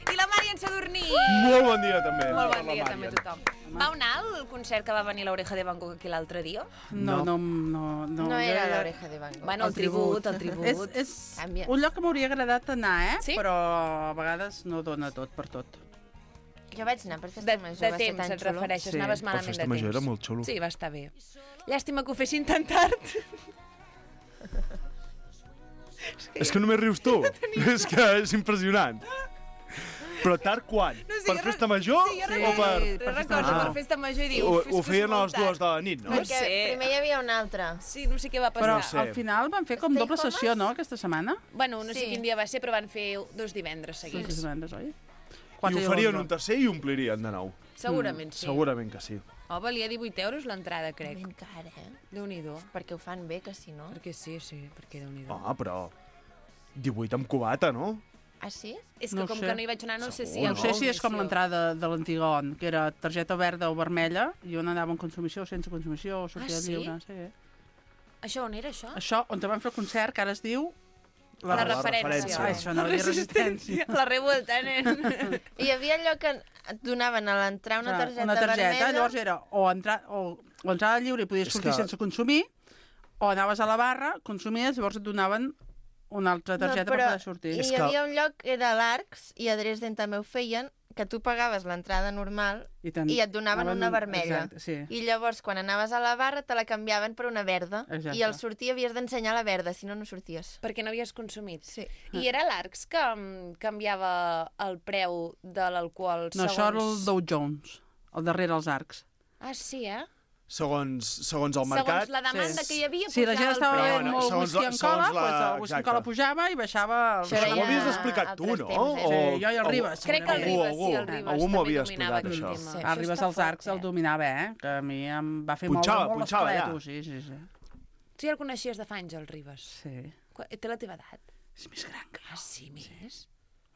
I la Màrian Sadurní. Molt bon dia, també. Molt Per bon la dia també a Màrian. tothom. Vau anar al concert que va venir l'Oreja de Van Gogh aquí l'altre dia? No, no, no. No, No era jo ja- l'Oreja de Van Gogh. Bueno, el tribut, el tribut. És, és Canvia. un lloc que m'hauria agradat anar, eh? Sí? Però a vegades no dona tot per tot. Jo vaig anar per De, festa major, de va ser temps tan et xulo. refereixes, Sí, anaves per malament festa de major temps. era molt xulo. Sí, va estar bé. Llàstima que ho fessin tan tard. És que només rius tu. És que és impressionant. Però tard quan? No, sí, per jo festa re- major Sí, jo o recordo, per... per recordo, major. per festa major i diu... Ho, "Uf, és ho que és feien a molt les dues tard." de la nit, no? No Perquè sé. primer hi havia un altre. Sí, no sé què va Però passar. No sé. al final van fer com Stay doble Homes? sessió, no, aquesta setmana? Bueno, no sé Sí. quin dia va ser, però van fer dos divendres Sí, seguits. sí, divendres, oi? I Quatre ho farien onze. un tercer i omplirien de nou. Segurament sí. Segurament que sí. Oh, valia divuit euros l'entrada, crec. Ben cara, eh? Déu-n'hi-do. Perquè ho fan bé, que si no... Perquè sí, sí, perquè Déu-n'hi-do. Ah, però... divuit amb cubata, no? Ah, sí? És que No com sé. que no hi vaig anar, no sé si... Segur, hi ha No sé si és com consumició. l'entrada de l'antiga on, que era targeta verda o vermella, i on anava en consumició, sense consumició, o sortida Ah, sí? lliure. Sí. Això on era, això? Això, on te van fer el concert, que ara es diu... La, la referència. referència. Ah, això no La dir resistència. La revolta, nen. I hi havia allò que et donaven a l'entrar una Clar, targeta, una targeta, vermella... llavors era o, entrar, o, o entrada lliure i podies És sortir que- sense consumir, o anaves a la barra, consumies, llavors et donaven una altra targeta per poder sortir. I És hi que- havia un lloc que era l'Arcs, i a Dresden també ho feien, que tu pagaves l'entrada normal I, ten... i et donaven anaven- una vermella. Exacte, sí. I llavors, quan anaves a la barra, te la canviaven per una verda. Exacte. I al sortir havies d'ensenyar la verda, si no, no sorties. Perquè no havies consumit. Sí. I era l'Arcs que mm, canviava el preu de l'alcohol No, segons... això era el Dow Jones, al darrere els arcs. Ah, sí, eh? Segons, segons el mercat... Segons la demanda Sí. que hi havia, Sí, la gent pujava el estava preu. bevent no, molt segons whisky la- en segons cola, la- doncs el whisky en exacte. cola pujava i baixava... El... Això Això era m'ho havies ja explicat tu, altres no? temps, eh? Sí, jo i el Ribas. Crec que el Algú, Ribas, algú, sí, el Ribas. algú m'ho també havia dominava explicat, aquell això. tema. Sí. El Això Ribas està als fort, arcs el eh? dominava, eh? Que a mi em va fer Punxava, moure molt punxava, ja. l'esqueleto. Sí, sí, sí. Tu ja el coneixies de fa anys, el Ribas? Sí. Qua- Té la teva edat? És més gran que Ah, sí, més?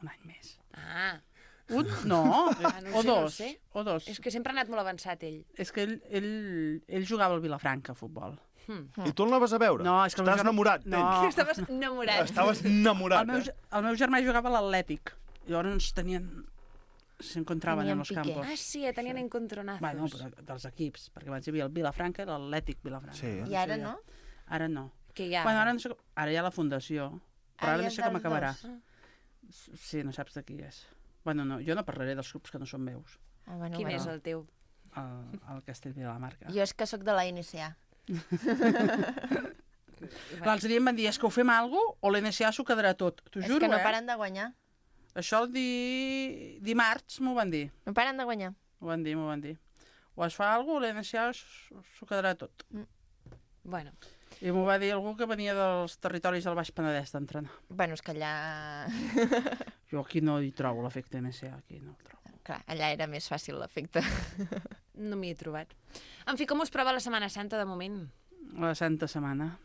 un any més. Ah, Un? No, Ah, no ho o sé, no ho dos. sé. O dos. és que sempre ha anat molt avançat, ell. És que ell, ell, ell jugava al Vilafranca, a futbol. Hmm. I tu el anaves a veure? No, és que el meu Estàs germà- enamorat No. d'ell? Estaves enamorat. Estaves enamorat, El meu, eh? ge- el meu germà jugava a l'Atlètic. Llavors tenien... s'encontraven Tenien en los pique. campos. Ah, sí, ja tenien encontronazos. Bueno, però dels equips, perquè abans hi havia el Vilafranca i l'Atlètic Vilafranca. Sí. I ara no? Ara no. Que hi ha... Bueno, ara, no sé, com- ara hi ha la fundació, però Ah, ara hi no ha sé com dels acabarà. dos. Sí, no saps de qui és. Bueno, no, jo no parlaré dels grups que no són meus. Ah, bueno, Quin bueno. és el teu? al, al Castellví de la Marca. Jo és que sóc de la N C A. L'altre dia em van dir, és que ho fem alguna cosa o l'N S A s'ho quedarà tot. T'ho És juro, que no eh? paren de guanyar. Això el di... dimarts m'ho van dir. No paren de guanyar. M'ho van dir, m'ho van dir. O es fa alguna cosa o l'N S A s'ho quedarà tot. Mm. Bueno. I m'ho va dir algú que venia dels territoris del Baix Penedès d'entrenar. Bueno, és que allà... Jo aquí no hi trobo l'efecte N S A, aquí no el trobo. Clar, allà era més fàcil l'efecte. No m'hi he trobat. En fi, com us prova la Setmana Santa de moment? La Santa Setmana.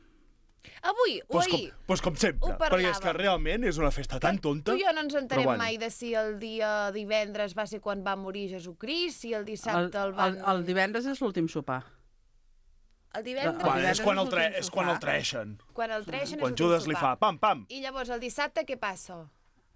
Avui o Pues com, ahir? pues com sempre, Ho perquè és que parlàvem. realment és una festa tan tonta. Tu i jo no ens entenem però bueno. mai de si el dia divendres va ser quan va morir Jesucrist, si el dissabte el, El, van... el, el divendres és l'últim sopar. El divendres... Bueno, és quan el, tre és quan el treixen. Quan el treixen Quan és l'últim Judas li fa sopar. pam, pam. I llavors el dissabte què passa?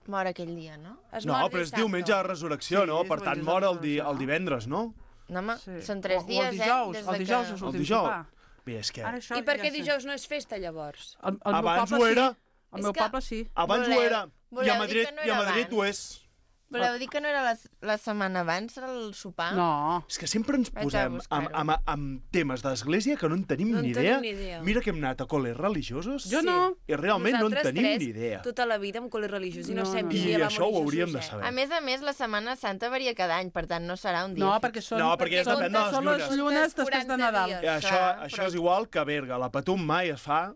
Mor aquell dia, no? Es No, mor però és dissabte. diumenge de resurrecció, Sí, no? és Per tant, diumenge de mor el, di resurrecció, el divendres, no? No, home, Sí. són tres O- o dies, el dijous, eh? Des el de dijous que... és El l'últim dijous. sopar. Bé, és que Ara això I per ja què sé. dijous no és festa, llavors? El, el meu abans poble ho era, Sí. El És meu que- poble sí. abans ho Voleu- era, i voleu a dir Madrid, que no i a era Madrid ho abans? és. Voleu dir que no era la, la setmana abans, era el sopar? No. És que sempre ens Vaig a posem amb, buscar-ho. amb, amb temes d'església que no en tenim No en ni tenim idea. ni idea. Mira que hem anat a col·les religiosos Jo no. i realment no en Nosaltres tenim tres, ni idea. Tota la vida amb col·le religiós i no, No, sabem no. quin I dia va això ho morir hauríem Jesús, de eh? saber. A més a més, la Setmana Santa varia cada any, per tant, no serà un dia. No, fix. perquè són, No, perquè són, depèn de les són les llunes. llunes després de Nadal. quaranta I això, Clar, això però- és igual que a Berga. La Patum mai es fa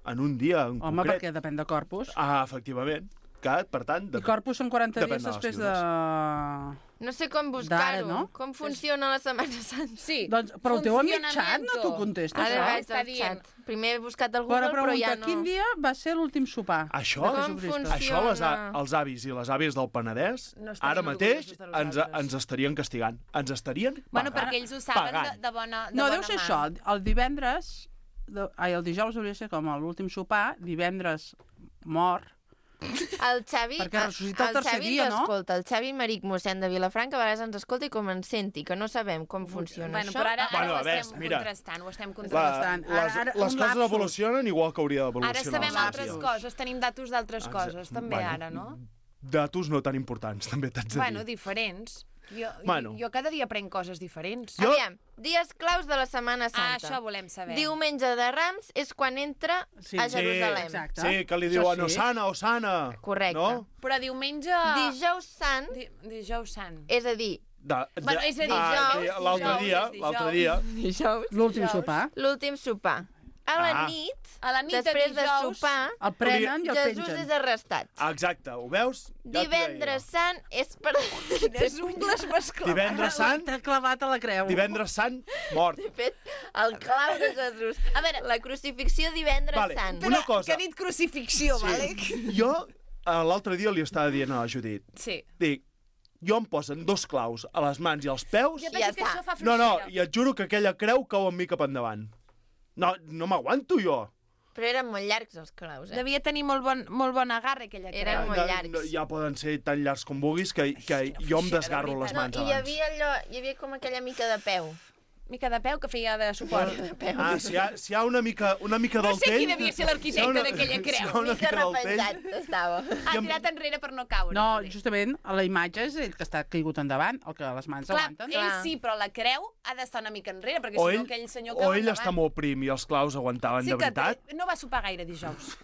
en un dia en Home, concret. perquè depèn de Corpus. Ah, efectivament. Que, per tant, I depèn. Corpus són quaranta depèn dies de les després de... llunes. No sé com D'ara, buscar-ho. no? Com funciona la Setmana Santa? Sí. Doncs, però el teu amic xat Funcionamiento. no t'ho contesta, Ara això? vaig Està al dient. xat. Primer he buscat al Però Google, però, pregunta, ja no. quin dia va ser l'últim sopar? Això, de Com Jesucristo? funciona? això les, a- els avis i les àvies del Penedès, No estarien ara mateix, orgullosos de ens, nosaltres. ens estarien castigant. Ens estarien Bueno, pagant. perquè ells ho saben de, Pagant. de bona de No, bona deu ser mà. això. El divendres... De, ai, el dijous hauria de ser com l'últim sopar, divendres mor. El Xavi, Perquè ressuscita el tercer Xavi dia, ens no? escolta, el Xavi Maric mossèn de Vilafranca, a vegades ens escolta i com ens senti, que no sabem com funciona Bueno, això. però ara, ara Bueno, ho a veure, estem mira. contrastant, ho estem La, contrastant. Ara- les, ara les un coses lapsus. evolucionen igual que hauria Ara d'evolucionar. sabem els altres àvies. coses, tenim datos d'altres Exacte. coses, també Bueno, ara, no? Datos no tan importants, també t'haig de Bueno, dir. diferents. Jo, Bueno. jo, jo cada dia aprenc coses diferents. Jo- Aviam, dies claus de la Setmana Ah, Santa. això volem saber. Diumenge de Rams és quan entra Sí. a Sí, Jerusalem. exacte. Sí, que li Això diuen sí. Osana, Osana. Correcte. No? Però diumenge... Dijous Sant, Di, dijous sant. és a dir, De, de, Bueno, és a dir, ah, dijous, l'altre dijous, dia, és dijous. l'altre dia, dijous, L'últim Dijous. sopar. l'últim sopar. A la Ah. nit, A la nit de després de, dijous, sopar, El prenen i el Jesús pengen. és arrestat. exacte, ho veus? Ja t'ho deia. Divendres Sant és per... Quines ungles m'has clavat. Divendres Sant, T'ha clavat a la creu. divendres Sant, mort. De fet, el clau de Jesús. A veure, la crucifixió divendres Vale, Sant. una cosa. Que ha dit crucifixió, vale? Jo eh, l'altre dia li estava dient a la Judit, Sí. dic, jo em posen dos claus a les mans i als peus, Jo Ja penso que està. això fa no, no, fluixera. i et juro que aquella creu cau amb mi cap endavant. No, no m'aguanto jo. Però eren molt llargs els claus, eh? Devia tenir molt bon, molt bon agarre, aquella creu. Eren molt No, llargs. no, ja poden ser tan llargs com vulguis que, que jo em desgarro les No, mans i hi abans. havia allò, hi havia com aquella mica de peu. Mica de peu que feia de suport. Ah, si hi ha, si hi ha una mica, una mica No del sé temps... qui devia ser l'arquitecte si hi ha una- d'aquella si hi creu. ha una Mica mica del repenjat temps... estava. Ha tirat enrere per no caure. No, poder. justament, a la imatge és ell que està caigut endavant, el que les mans Clar, aguanten. ell sí, però la creu ha d'estar una mica enrere, perquè O si no ell, aquell senyor o cau ell endavant. està molt prim i els claus aguantaven Sí de que veritat. té- no va sopar gaire dijous.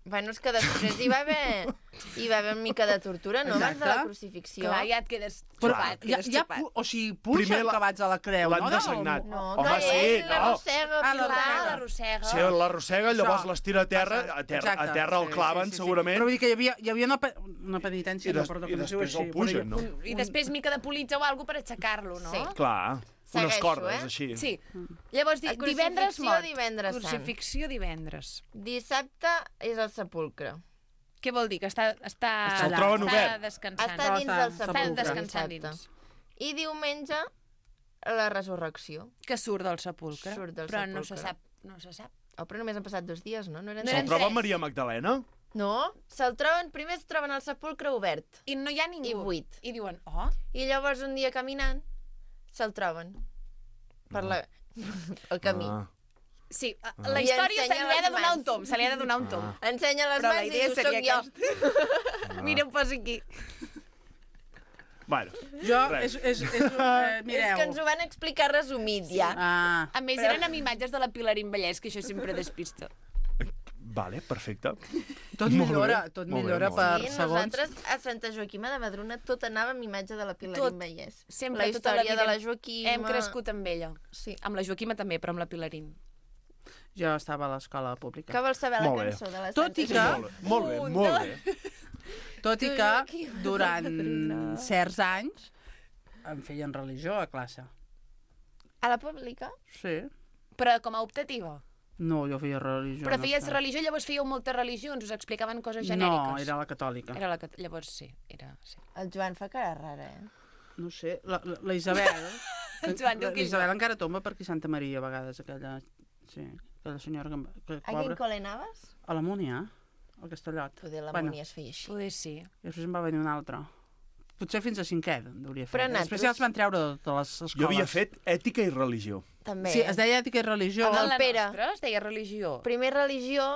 Bueno, és que després hi va haver, hi va haver una mica de tortura, no? Abans de la Exacte. crucifixió. Clar, ja et quedes Però xupat. ja, quedes ja, xupat. pu- o sigui, puja Primer la- acabats a la creu, l'han no? dessagnat. No, Home, que sí, ell no. l'arrossega, Ah, Pilar. Clar, l'arrossega. Si l'arrossega, llavors Això. l'estira a terra, a terra, a Exacte, terra el sí, claven, sí, sí, sí. segurament, Però vull dir que hi havia, hi havia una, pe una penitència, I, des, no, perdó, i que no es diu després el així, pugen, però no? hi- I després mica de politja o alguna per aixecar-lo, no? Sí. Clar, unes Segueixo, cordes, eh? així. Sí. Llavors, di La divendres crucifixió mort. divendres sant. Crucifixió divendres. Dissabte és el sepulcre. Què vol dir? Que està, està, Se'l està troben obert. descansant. Està dins del Està sepulcre. descansant dissabte. dins. I diumenge, la resurrecció. Que surt del sepulcre. Surt del però no se sepulcre. sap. No se sap. Oh, però només han passat dos dies, no? No eren No Se'l eren tres. troba tres. Maria Magdalena? No, se'l troben, primer es troben al sepulcre obert. I no hi ha ningú. I buit. I diuen, oh, I llavors un dia caminant, se'l troben. Per la... el camí. Ah. sí, Ah. la I història se ensenya li ha de les donar un mans. tom, se li ha de donar un tom. Ensenya les Però la mans i idea diu, seria soc jo. Mira, ho posa aquí. Bueno, Jo, res. és, és, és, eh, mireu. És que ens ho van explicar resumit, ja. Ah, A més, eren amb imatges de la Pilarín Vallès, que això sempre despista. Vale, perfecte. tot Molt millora, bé, tot molt bé, millora molt per Sí, segons. nosaltres a Santa Joaquima de Madrona tot anava amb imatge de la Pilarín Tot. Vallès. Sempre, la tota la història vida de la Joaquima... Hem crescut amb ella. Sí. Amb la Joaquima també, però amb la Pilarín. Jo estava a l'escola pública. Que vols saber la Molt bé. cançó de la Tot i Santa que- Joaquima? Molt bé, molt bé. Tot i Tu, que Joaquim, durant Madrona. certs anys em feien religió a classe. A la pública? Sí. Però com a optativa. No, jo feia religió. Però no feies sé. religió, llavors fèieu moltes religions, us explicaven coses No, genèriques. era la catòlica. Era la cat... Llavors sí, era... Sí. El Joan fa cara rara, eh? No sé, la, la, la Isabel... El Joan diu la, que la Isabel encara tomba per aquí Santa Maria, a vegades, aquella... Sí, aquella senyora que... que A quin col·le anaves? A la Múnia, al Castellot. Poder la Bueno, Múnia es feia així. Poder sí. I després en va venir un altre. Potser fins a cinquè hauria fet. Però Després nosaltres- ja els van treure de totes les escoles. Jo havia fet ètica i religió. També. Sí, es deia ètica i religió. Amb En el la Pere. nostra es deia religió. Primer religió,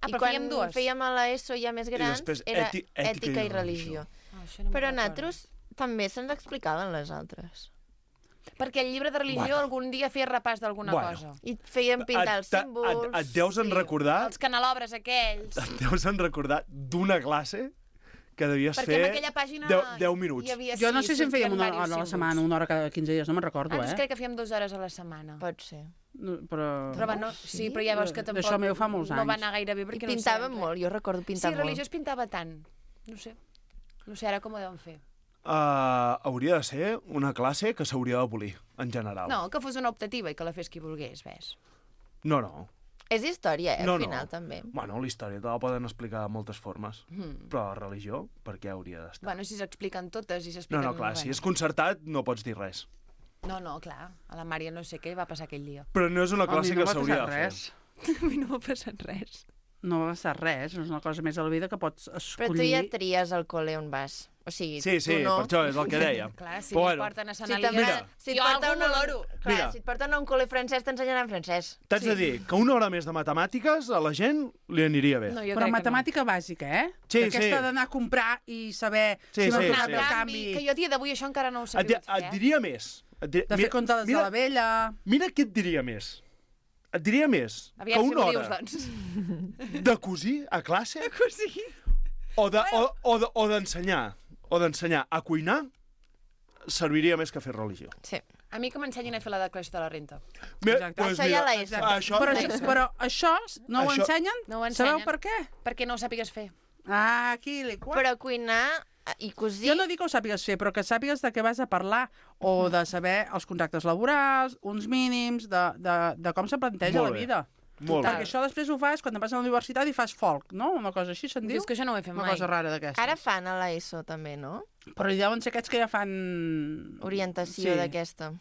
Ah, i però quan fèiem dues. fèiem a l'ESO ja més grans, després era èti- ètica, i religió. Ah, això no me'n Però recordo. nosaltres també se'ns explicaven les altres. Perquè el llibre de religió Bueno. algun dia feia repàs d'alguna Bueno. cosa. I feien pintar els Et- símbols... Et, et deus en recordar, Els canelobres aquells. et deus en recordar d'una classe que devies Perquè en fer aquella pàgina deu, deu minuts. hi havia... Jo no sí, sé si en fèiem sortien una diversos hora a la símbols. setmana, una hora cada quinze dies, no me'n recordo, Ah, doncs eh? crec que fèiem dues hores a la setmana. Pot ser. No, però... Però bueno, sí, però ja veus que tampoc D'això meu fa molts no va anys. anar gaire bé I perquè pintaven no ho sé. molt, jo recordo pintar Sí, molt. religió es pintava tant. No sé. No sé ara com ho deuen fer. Uh, hauria de ser una classe que s'hauria d'abolir, en general. No, que fos una optativa i que la fes qui volgués, ves. No, no. És història, eh, No, al no. final, també. Bueno, la història te la poden explicar de moltes formes. Mm. Però la religió, per què hauria d'estar? Bueno, si s'expliquen totes i No, s'expliquen... no, clar, si és concertat no pots dir res. No, no, clar. A la Mària no sé què va passar aquell dia. Però no és una A mi classe no que m'ha s'hauria de passat fer. res. A mi no m'ha passat res. No va passar res, és una cosa més a la vida que pots Però escollir... tu ja tries al col·le on vas. O sigui, Sí, sí, tu no. per això és el que deia. Clar, si Però bueno, bueno, porten a Sant Si, Elies... també, Mira. si et jo porten algú a valoro. Clar, Mira. si et porten a un col·le francès, t'ensenyaran francès. T'haig de dir que una hora més de matemàtiques a la gent li aniria bé. No, jo Però crec matemàtica bàsica, eh? Sí, Aquesta sí. d'anar a comprar i saber Sí, si sí, m'ha sí. donat que el no. canvi, Que jo a dia d'avui això encara no ho Et, sabia di- fer, et eh? diria més. Et di... de fer comptes de la vella... Mira què et diria més. Et diria més Aviam que si una m'ho hora dius, doncs. de cosir a classe De cosir? o de- o- o de- o d'ensenyar o d'ensenyar a cuinar serviria més que fer religió. Sí. A mi que m'ensenyin a fer la declaració de la renta. Mira, Exacte. doncs Això ja mira, la ESO. Això, Però, això, però això no ho Això- ensenyen? No ho Sabeu ensenyen. per què? Perquè no ho sàpigues fer. Ah, aquí li qua. Però cuinar i cosir... Jo no dic que ho sàpigues fer, però que sàpigues de què vas a parlar o de saber els contractes laborals, uns mínims, de, de, de com se planteja Molt la bé. vida. Molt Perquè bé. això després ho fas quan vas a la universitat i fas folk, no? Una cosa així se'n diu? Dius que això no ho he fet Una mai. cosa rara d'aquesta. Ara fan a l'ESO, també, no? Però hi deuen ser aquests que ja fan... Orientació Sí. d'aquesta.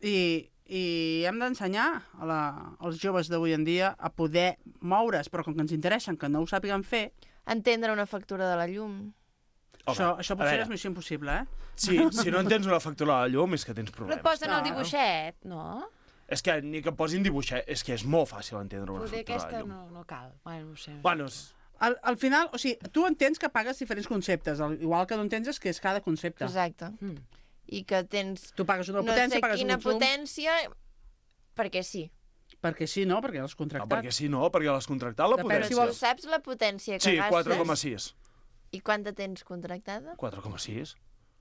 I, i hem d'ensenyar a la, als joves d'avui en dia a poder moure's, però com que ens interessen que no ho sàpiguen fer, Entendre una factura de la llum. Home, això, això a potser veure. és missió impossible, eh? Sí, si no entens una factura de la llum és que tens Però et problemes. posen el Claro. dibuixet, no? És que ni que em posin dibuixet, és que és molt fàcil entendre una Poder factura de aquesta llum. no, no cal. Bueno, no ho sé. Bueno, és... Al, al final, o sigui, tu entens que pagues diferents conceptes, el- igual que no entens és que és cada concepte. Exacte. Mm. I que tens Tu pagues una no potència, sé pagues quina un consum... potència, perquè sí. Perquè sí, no? Perquè l'has No, contractat. perquè sí, no, perquè l'has contractat la Depèn Però potència. si tu saps la potència que Sí, gastes quatre coma sis. i quanta tens contractada? quatre coma sis.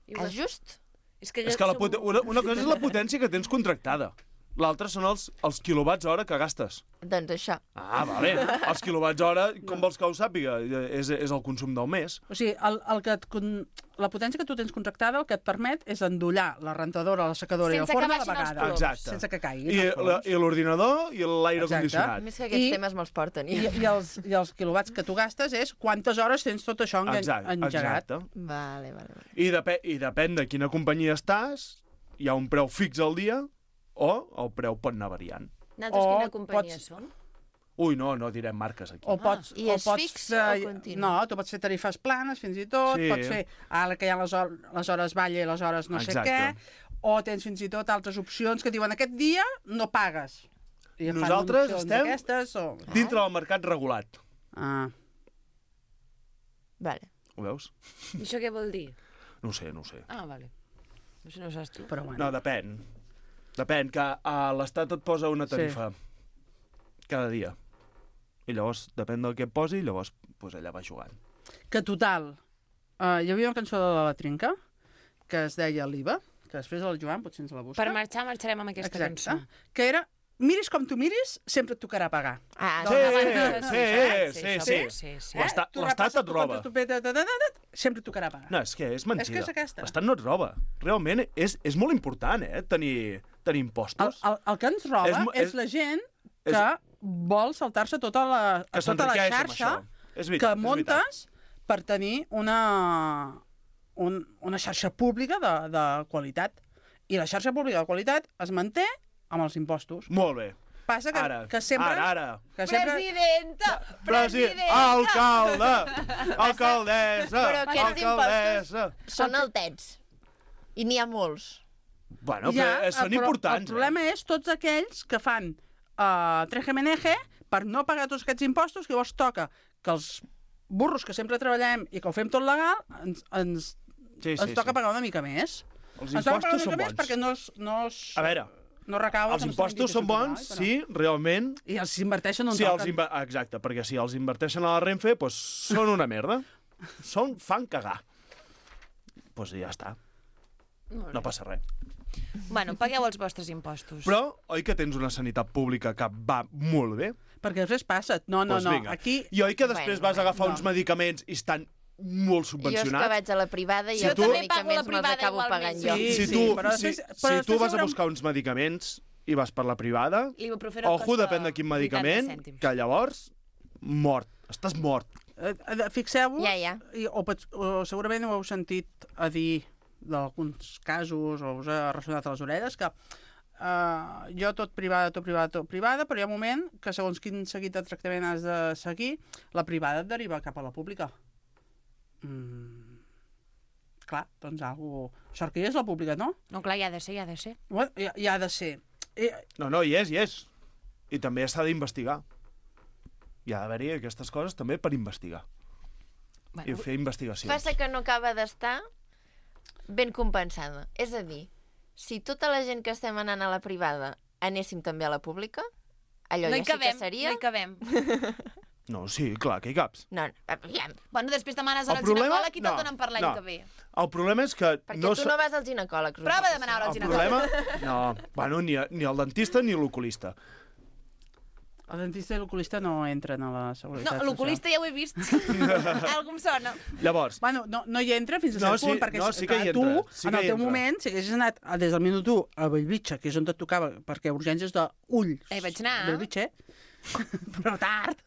I ho És just? És que, És que la som- pot... una, una cosa és la potència que tens contractada. L'altra són els, els quilowatts hora que gastes. Doncs això. Ah, vale. Els quilowatts hora, com vols que ho sàpiga? És, és el consum del mes. O sigui, el, el que et, con- la potència que tu tens contractada el que et permet és endollar la rentadora, la secadora i el Sense que forn a la baixin els vegada. ploms. Exacte. Sense que caiguin I, els la, ploms. i l'ordinador i l'aire Exacte. condicionat. Més que aquests I- temes me'ls porten. I, i, els, I els quilowatts que tu gastes és quantes hores tens tot això engan- Exacte, engegat. exacte. Vale, vale, vale. I, depèn, I depèn de quina companyia estàs, hi ha un preu fix al dia o el preu pot anar variant. Nosaltres O quina companyia pots- som? Ui, no, no direm marques aquí. O pots, I o és pots fix fer, o continu? No, tu pots fer tarifes planes, fins i tot, Sí. pots fer ara que hi ha les, hor les hores balla i les hores no sé Exacte. què, o tens fins i tot altres opcions que diuen aquest dia no pagues. I fan Nosaltres opcions estem d'aquestes, o... dintre del mercat regulat. Ah. Vale. Ho veus? I això què vol dir? No ho sé, no ho sé. Ah, vale. No sé, no ho saps tu. Però bueno. No, depèn. Depèn, que a l'Estat et posa una tarifa sí. cada dia. I llavors, depèn del que et posi, llavors pues, allà va jugant. Que total, uh, hi havia una cançó de la Trinca que es deia l'I V A, que després el Joan potser ens la busca. Per marxar, marxarem amb aquesta Exacte. cançó. Que era, miris com tu miris, sempre et tocarà pagar. Ah, Sí, Doncs, sí, sí, sí. sí, sí. L'Estat Tu l'Estat repasses et tu roba. comptes tu peta, ta, ta, ta, ta, sempre et tocarà pagar. No, és que és mentida. És que és aquesta. L'Estat no et roba. Realment és, és molt important, eh, tenir, tenir El, impostos. el, el que ens roba És és, mo- és, és- la gent és- que vol saltar-se tota la, Que tota la s'enriqueix amb xarxa això. És veritat, que és montes per tenir una, un, una xarxa pública de, de qualitat. I la xarxa pública de qualitat es manté amb els impostos. Molt bé. Passa que, Ara, que sempre... ara, ara. Que sempre... Presidenta! President, alcalde, alcaldessa, Però aquests alcaldessa. impostos són altets. I n'hi ha molts. Bueno, Ja, però són però importants. El problema és tots aquells que fan uh, trejemeneje per no pagar tots aquests impostos, que llavors toca que els burros que sempre treballem i que ho fem tot legal, ens, ens, Sí, sí, ens toca sí. pagar una mica més. Els ens toca pagar impostos una són mica més bons. perquè no es, no es, A veure, no recau... els impostos són bons si realment... I els inverteixen on si els toquen. inver... Exacte, perquè si els inverteixen a la Renfe, doncs són una merda. Són, fan cagar. Doncs pues ja està. No passa res. Bueno, pagueu els vostres impostos. Però, oi que tens una sanitat pública que va molt bé? Perquè després passa... No, no, Pues no. vinga. Aquí... I oi que després Bueno, vas a agafar no. uns medicaments i estan molt Jo és que subvencionats? vaig a la privada i Si els tu- medicaments me'ls privada acabo igualment. pagant jo. Sí, si sí, tu, però si, després- però si tu després vas a haurem- buscar uns medicaments i vas per la privada, L'ibuprofeno ojo, costa depèn de quin medicament, vuitanta cèntims. que llavors, mort. Estàs mort. Eh, eh, Fixeu-vos, Ja, ja. i, o, pot- o segurament ho heu sentit a dir d'alguns casos, o us ha ressonat a les orelles, que uh, jo tot privada, tot privada, tot privada, però hi ha un moment que segons quin seguit de tractament has de seguir, la privada et deriva cap a la pública. Mm. Clar, doncs algú... Sort que hi és la pública, no? No, clar, hi ha de ser, hi ha de ser. Bueno, hi, hi ha de ser. Eh, No, no, hi és, hi és. I també s'ha d'investigar. Hi ha d'haver-hi aquestes coses també per investigar. Bueno, I fer investigacions. Passa que no acaba d'estar ben compensada. És a dir, si tota la gent que estem anant a la privada anéssim també a la pública, allò no hi ja cabem, sí que seria... no hi cabem. No, sí, clar, que hi caps. No, no, aviam. Bueno, després demanes El al problema- ginecòleg i te'l no, donen per l'any no. que ve. El problema és que... Perquè no tu sa- no vas al ginecòleg. Rosa. Prova de demanar al El ginecòleg. problema... No, bueno, ni, a- ni el dentista ni l'oculista. el dentista i l'oculista no entren a la seguretat No, l'oculista ja ho he vist. Algú em sona. Llavors, Bueno, no, no hi entra fins a No, cert punt, sí, perquè no, si- sí que hi tu, entra, sí en que el hi teu entra. moment, si haguessis anat a- des del minut u a Bellvitge, que és on et tocava, perquè urgències d'ulls... Eh, vaig anar. Bellvitge, però tard.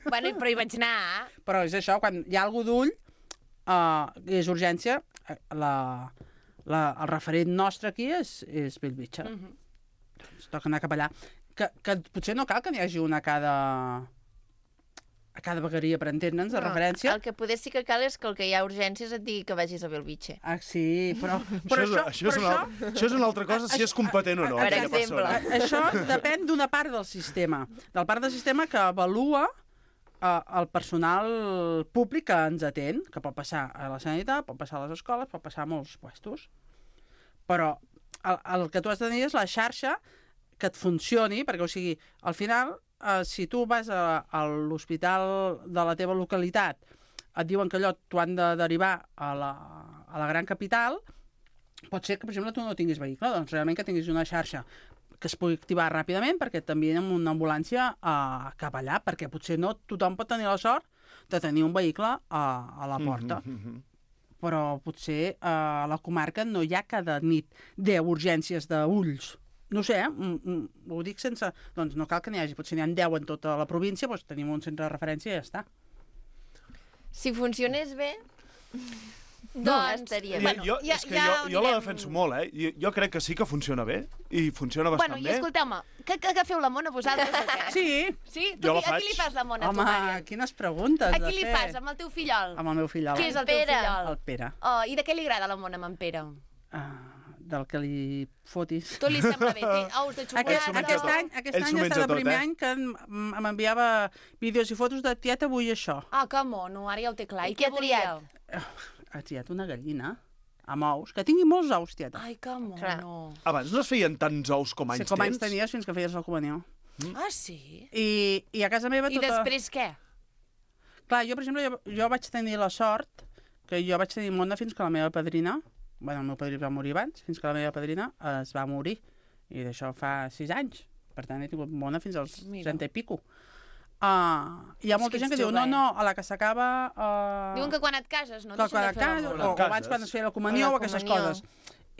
Bueno, però hi vaig anar. Però és això, quan hi ha algú d'ull, uh, és urgència, eh, la, la, el referent nostre aquí és, és Bellvitge. Mm Mhm. Ens toca anar cap allà. Que, que potser no cal que n'hi hagi una a cada... a cada vegueria, per entendre'ns, de No, referència. El que poder sí que cal és que el que hi ha urgències et digui que vagis a Belvitge. Ah, sí, però... però això, és, això, és una, això és una altra cosa, si és competent o no. Per aquella exemple. persona. Això depèn d'una part del sistema. Del part del sistema que avalua eh, el personal públic que ens atén, que pot passar a la sanitat, pot passar a les escoles, pot passar a molts puestos. Però el, el que tu has de tenir és la xarxa que et funcioni, perquè, o sigui, al final, eh, si tu vas a, a l'hospital de la teva localitat, et diuen que allò t'ho han de derivar a la, a la gran capital, pot ser que, per exemple, tu no tinguis vehicle, doncs realment que tinguis una xarxa que es pugui activar ràpidament perquè també amb una ambulància uh, cap allà, perquè potser no tothom pot tenir la sort de tenir un vehicle a, a la porta. Mm -hmm. Però potser uh, a la comarca no hi ha cada nit deu urgències d'ulls. No sé, eh? Mm, mm, ho dic sense... Doncs no cal que n'hi hagi, potser n'hi ha deu en tota la província, doncs tenim un centre de referència i ja està. Si funcionés bé, Doncs, doncs estaria bé. Jo, jo, ja- és que ja jo, jo la anirem- defenso molt, eh? Jo, jo crec que sí que funciona bé, i funciona bastant Bueno, i bé. escolteu-me, que, que, que feu la mona vosaltres o què? Sí. Sí? Tu, Jo la qui- a qui faig. li fas la mona, Home, tu, Mària? quines preguntes A de qui li fer. fas? Amb el teu fillol? Amb el meu fill. Qui és el teu Pere. fillol? El Pere. Oh, I de què li agrada la mona amb en Pere? Uh, del que li fotis. Tot li sembla bé. Té ous de Aquest, xocolata. aquest any, aquest Ell any s'ho ha menja estat el tot, primer eh? any que em- m'enviava vídeos i fotos de tieta, vull això. Ah, que mono, ara ja ho té clar. I I què què ha triat? volia? Ha triat una gallina. amb ous, que tingui molts ous, tieta. Ai, que mono. Abans no es feien tants ous com anys Sí, com anys tens? tenies fins que feies la comunió. Mm. Ah, sí? I, I a casa meva I tota... després què? Clar, jo, per exemple, jo, jo vaig tenir la sort que jo vaig tenir mona fins que la meva padrina, bueno, el meu padrí va morir abans, fins que la meva padrina es va morir. I d'això fa sis anys. Per tant, he tingut mona fins als trenta i pico. Uh, hi ha molta gent que diu, no, no, a la que s'acaba... Uh... Diuen que quan et cases no que deixen quan de et fer cases, l'amor. o, o abans quan es feia la comunió o, O la aquestes comunió. coses.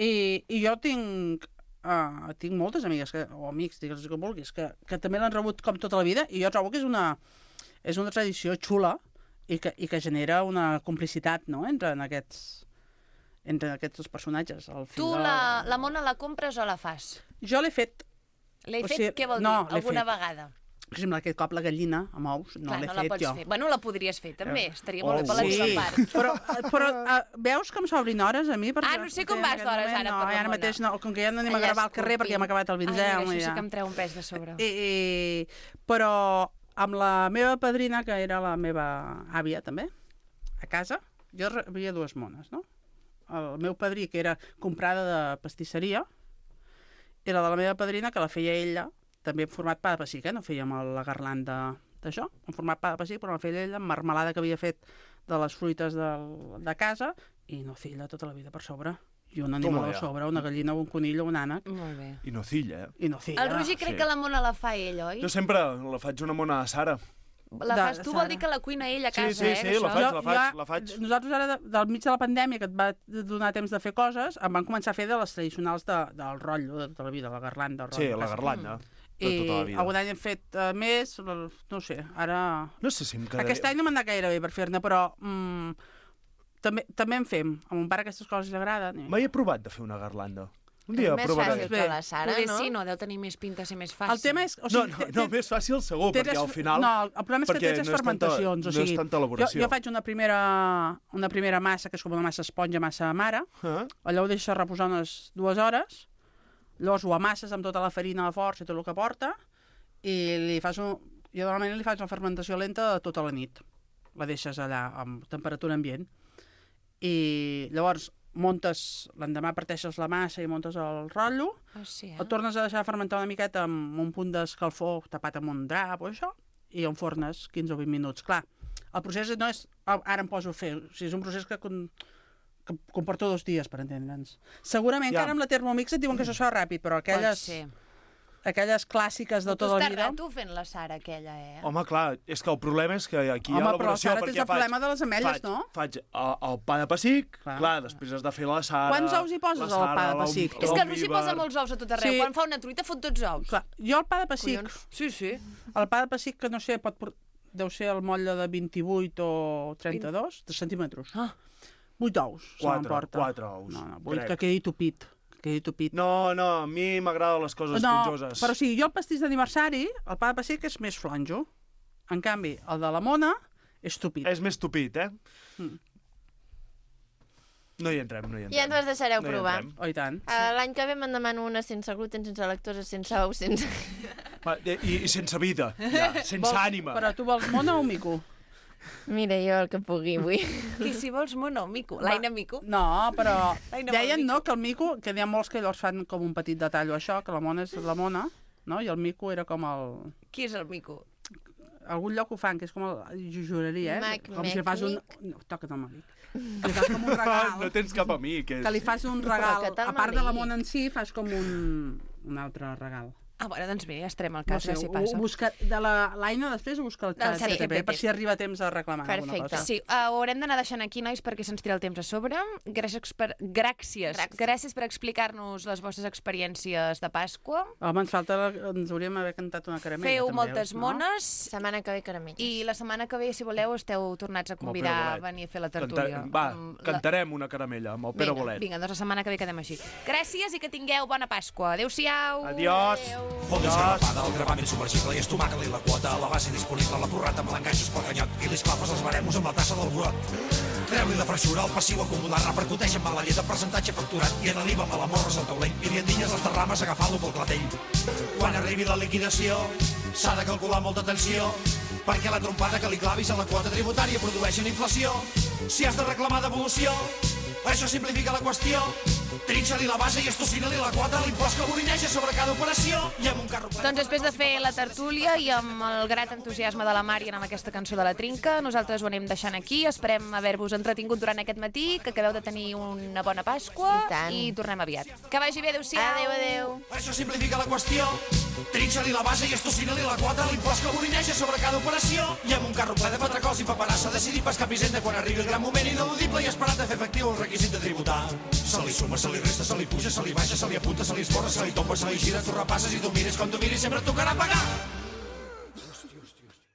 I, i jo tinc, uh, tinc moltes amigues, que, o amics, digues com vulguis, que, que també l'han rebut com tota la vida, i jo trobo que és una, és una tradició xula i que, i que genera una complicitat, no?, entre en aquests, entre aquests dos personatges. Al Tu final... la, la mona la compres o la fas? Jo l'he fet. L'he O fet, sigui, què vol no, dir? l'he Alguna fet. vegada? Per exemple, aquest cop la gallina amb ous, no Clar, l'he no la fet pots jo. fer. Bueno, la podries fer, també. Eh, Estaria molt bé per la sí, teva part. però, però uh, veus com s'obrin hores a mi? Ah, no sé com en vas aquest d'hores moment, ara no, per la ara mona. mateix no, com que ja no anem a Allà gravar al carrer esculpint. perquè hem acabat el Ai, vinzem. mira, això i sí ja. que em treu un pes de sobre. I, i, però amb la meva padrina, que era la meva àvia també, a casa, jo havia dues mones, no? El meu padrí, que era comprada de pastisseria, i la de la meva padrina, que la feia ella, també en format pa de pessic, eh? No fèiem la garlanda d'això, en format pa de pessic, però la feia ella amb marmelada que havia fet de les fruites del, de casa, i nocilla tota la vida per sobre. I un animal Toma a ja. sobre, una gallina, un conill o un ànec. Molt bé. I nocilla, eh? I nocilla. El Roger crec que la mona la fa ell, oi? Jo sempre la faig una mona a Sara. La de- fas tu, vol dir que la cuina ell a casa, Sí, sí, eh? sí, que la això- faig, Jo- la faig, jo- la faig. Nosaltres ara, de, del mig de la pandèmia, que et va donar temps de fer coses, em van començar a fer de les tradicionals de, del rotllo de tota la vida, la garlanda. El Sí, rotllo. la garlanda. De I tota la vida. algun any hem fet uh, més, no sé, ara... No sé si em quedaré... Aquest any no m'ha anat gaire bé per fer-ne, però mm, també, també en fem. A mon pare aquestes coses li agraden. I... Mai he provat de fer una garlanda. Un dia més provaré. fàcil que la Sara, Poder no? sí, no, deu tenir més pinta, ser més fàcil. El tema és... O No, sigui, no, té- no, té- més fàcil segur, té perquè tres- al final... No, el problema és que té perquè tres no és tanta- fermentacions. o no és sigui, tanta elaboració. Jo, jo faig una primera, una primera massa, que és com una massa esponja, massa mare, Ah? allò ho deixes reposar unes dues hores, llavors ho amasses amb tota la farina, la força i tot el que porta, i li fas un... Jo normalment li faig una fermentació lenta tota la nit. La deixes allà amb temperatura ambient. I llavors montes, l'endemà parteixes la massa i montes el rotllo, Ah, sí, eh? el tornes a deixar fermentar una miqueta amb un punt d'escalfor tapat amb un drap o això, i enfornes quinze o vint minuts. Clar, el procés no és... Ara em poso a fer, o sigui, és un procés que, con, que comporta dos dies, per entendre'ns. Segurament Ja. que ara amb la Thermomix et diuen que això es fa ràpid, però aquelles, ser. aquelles clàssiques de Tu tota la estàs vida... rato fent la Sara aquella, eh? Home, clar, és que el problema és que aquí hi Home, ha però elaboració, Sara, perquè tens el faig... problema de les ametlles, faig, no? Faig el, el pa de pessic, clar. Clar. clar, després has de fer la Sara... Quants ous hi poses la al Sara, pa de l'om- pessic? És que el Roger l'omnívar. posa molts ous a tot arreu. Sí. Quan fa una truita fot tots ous. Clar, jo el pa de pessic, Collons. Sí, sí. el pa de pessic que no sé, pot, por- deu ser el motlle de vint-i-vuit o trenta-dos de centímetres. Ah. Vuit ous se Quatre, m'emporta. quatre ous, No, no, vull crec. que quedi tupit. Que quedi tupit. No, no, a mi m'agraden les coses no, pitjoses. però o sigui, jo el pastís d'aniversari, el pa de pessic és més flonjo. En canvi, el de la mona és tupit. És més tupit, eh? Mm. No hi entrem, no hi entrem. Ja ens les deixareu No hi provar. entrem. Oh, i tant. Uh, L'any que ve me'n demano una sense gluten, sense lactosa, sense ous, sense... Va, I, I sense vida, ja, sense Vols- ànima. Però tu vols mona o mico? Mira, jo el que pugui vull. I si vols mono, mico. L'Aina mico. No, però L'Aina deien vol no, que el mico, que n'hi ha molts que llavors fan com un petit detall o això, que la mona és la mona, no? I el mico era com el... Qui és el mico? Algun lloc ho fan, que és com el... Jo juraria, eh? Mac, com mec, si li fas un... mic. No, toca't el malic. Que li fas com un regal. No tens cap amic. És... Que li fas un regal. Toca't el A part de la malic. mona en si, fas com un, un altre regal. Ah, bueno, doncs mira, ja estarem al No cas, sé, ja s'hi ho, passa. ho busca, de la l'Aina després ho busca al Del xat xat G P T, G P T. per si arriba temps a reclamar alguna Perfecte. cosa. Sí, uh, ho haurem d'anar deixant aquí, nois, perquè se'ns tira el temps a sobre. Gràcies per, gràcies. Gràcies. Gràcies per explicar-nos les vostres experiències de Pasqua. Home, ens falta... La, ens hauríem d'haver cantat una caramella, Feu també, moltes no? mones. Setmana que ve caramelles. I la setmana que ve, si voleu, esteu tornats a convidar a Bolet. venir a fer la Canta... tertúlia. Va, Amb la- cantarem una caramella amb el Pere Vinga, Bolet. vinga, doncs la setmana que ve quedem així. Gràcies i que tingueu bona Pasqua. Adéu-siau. Adiós. Fondis escarapada, el gravament submergible i estomaca-li la quota, la base disponible, la porrata amb l'enganxos pel canyot i li esclafes els baremos amb la tassa del burot. Treu-li la freixura, el passiu acumulat, repercuteix amb mala llet de percentatge facturat i en l'I V A me l'amorres al taulell i li endinyes les derrames agafant-lo pel clatell. Quan arribi la liquidació s'ha de calcular molta atenció perquè la trompada que li clavis a la quota tributària produeix una inflació. Si has de reclamar devolució Això simplifica la qüestió. Trinxa-li la base i estocina-li la quota, l'impost que bolineja sobre cada operació i amb un carro ple... Doncs després de fer la tertúlia i amb el grat entusiasme de la Mari amb aquesta cançó de la Trinca, nosaltres ho anem deixant aquí. Esperem haver-vos entretingut durant aquest matí, que acabeu de tenir una bona Pasqua i, i tornem aviat. Que vagi bé, adéu-siau. Adéu, adéu. Això simplifica la qüestió. Trinxa-li la base i estocina-li la quota, l'impost que bolineja sobre cada operació i amb un carro ple de patracols i paperassa decidir pescar pisenda quan arribi el gran moment ineludible i esperat de fer efectiu el requisit de tributar. Se li suma, se li resta, se li puja, se li baixa, se li apunta, se li esborra, se li tomba, se li gira, tu repasses i tu mires com tu miris, sempre et tocarà pagar.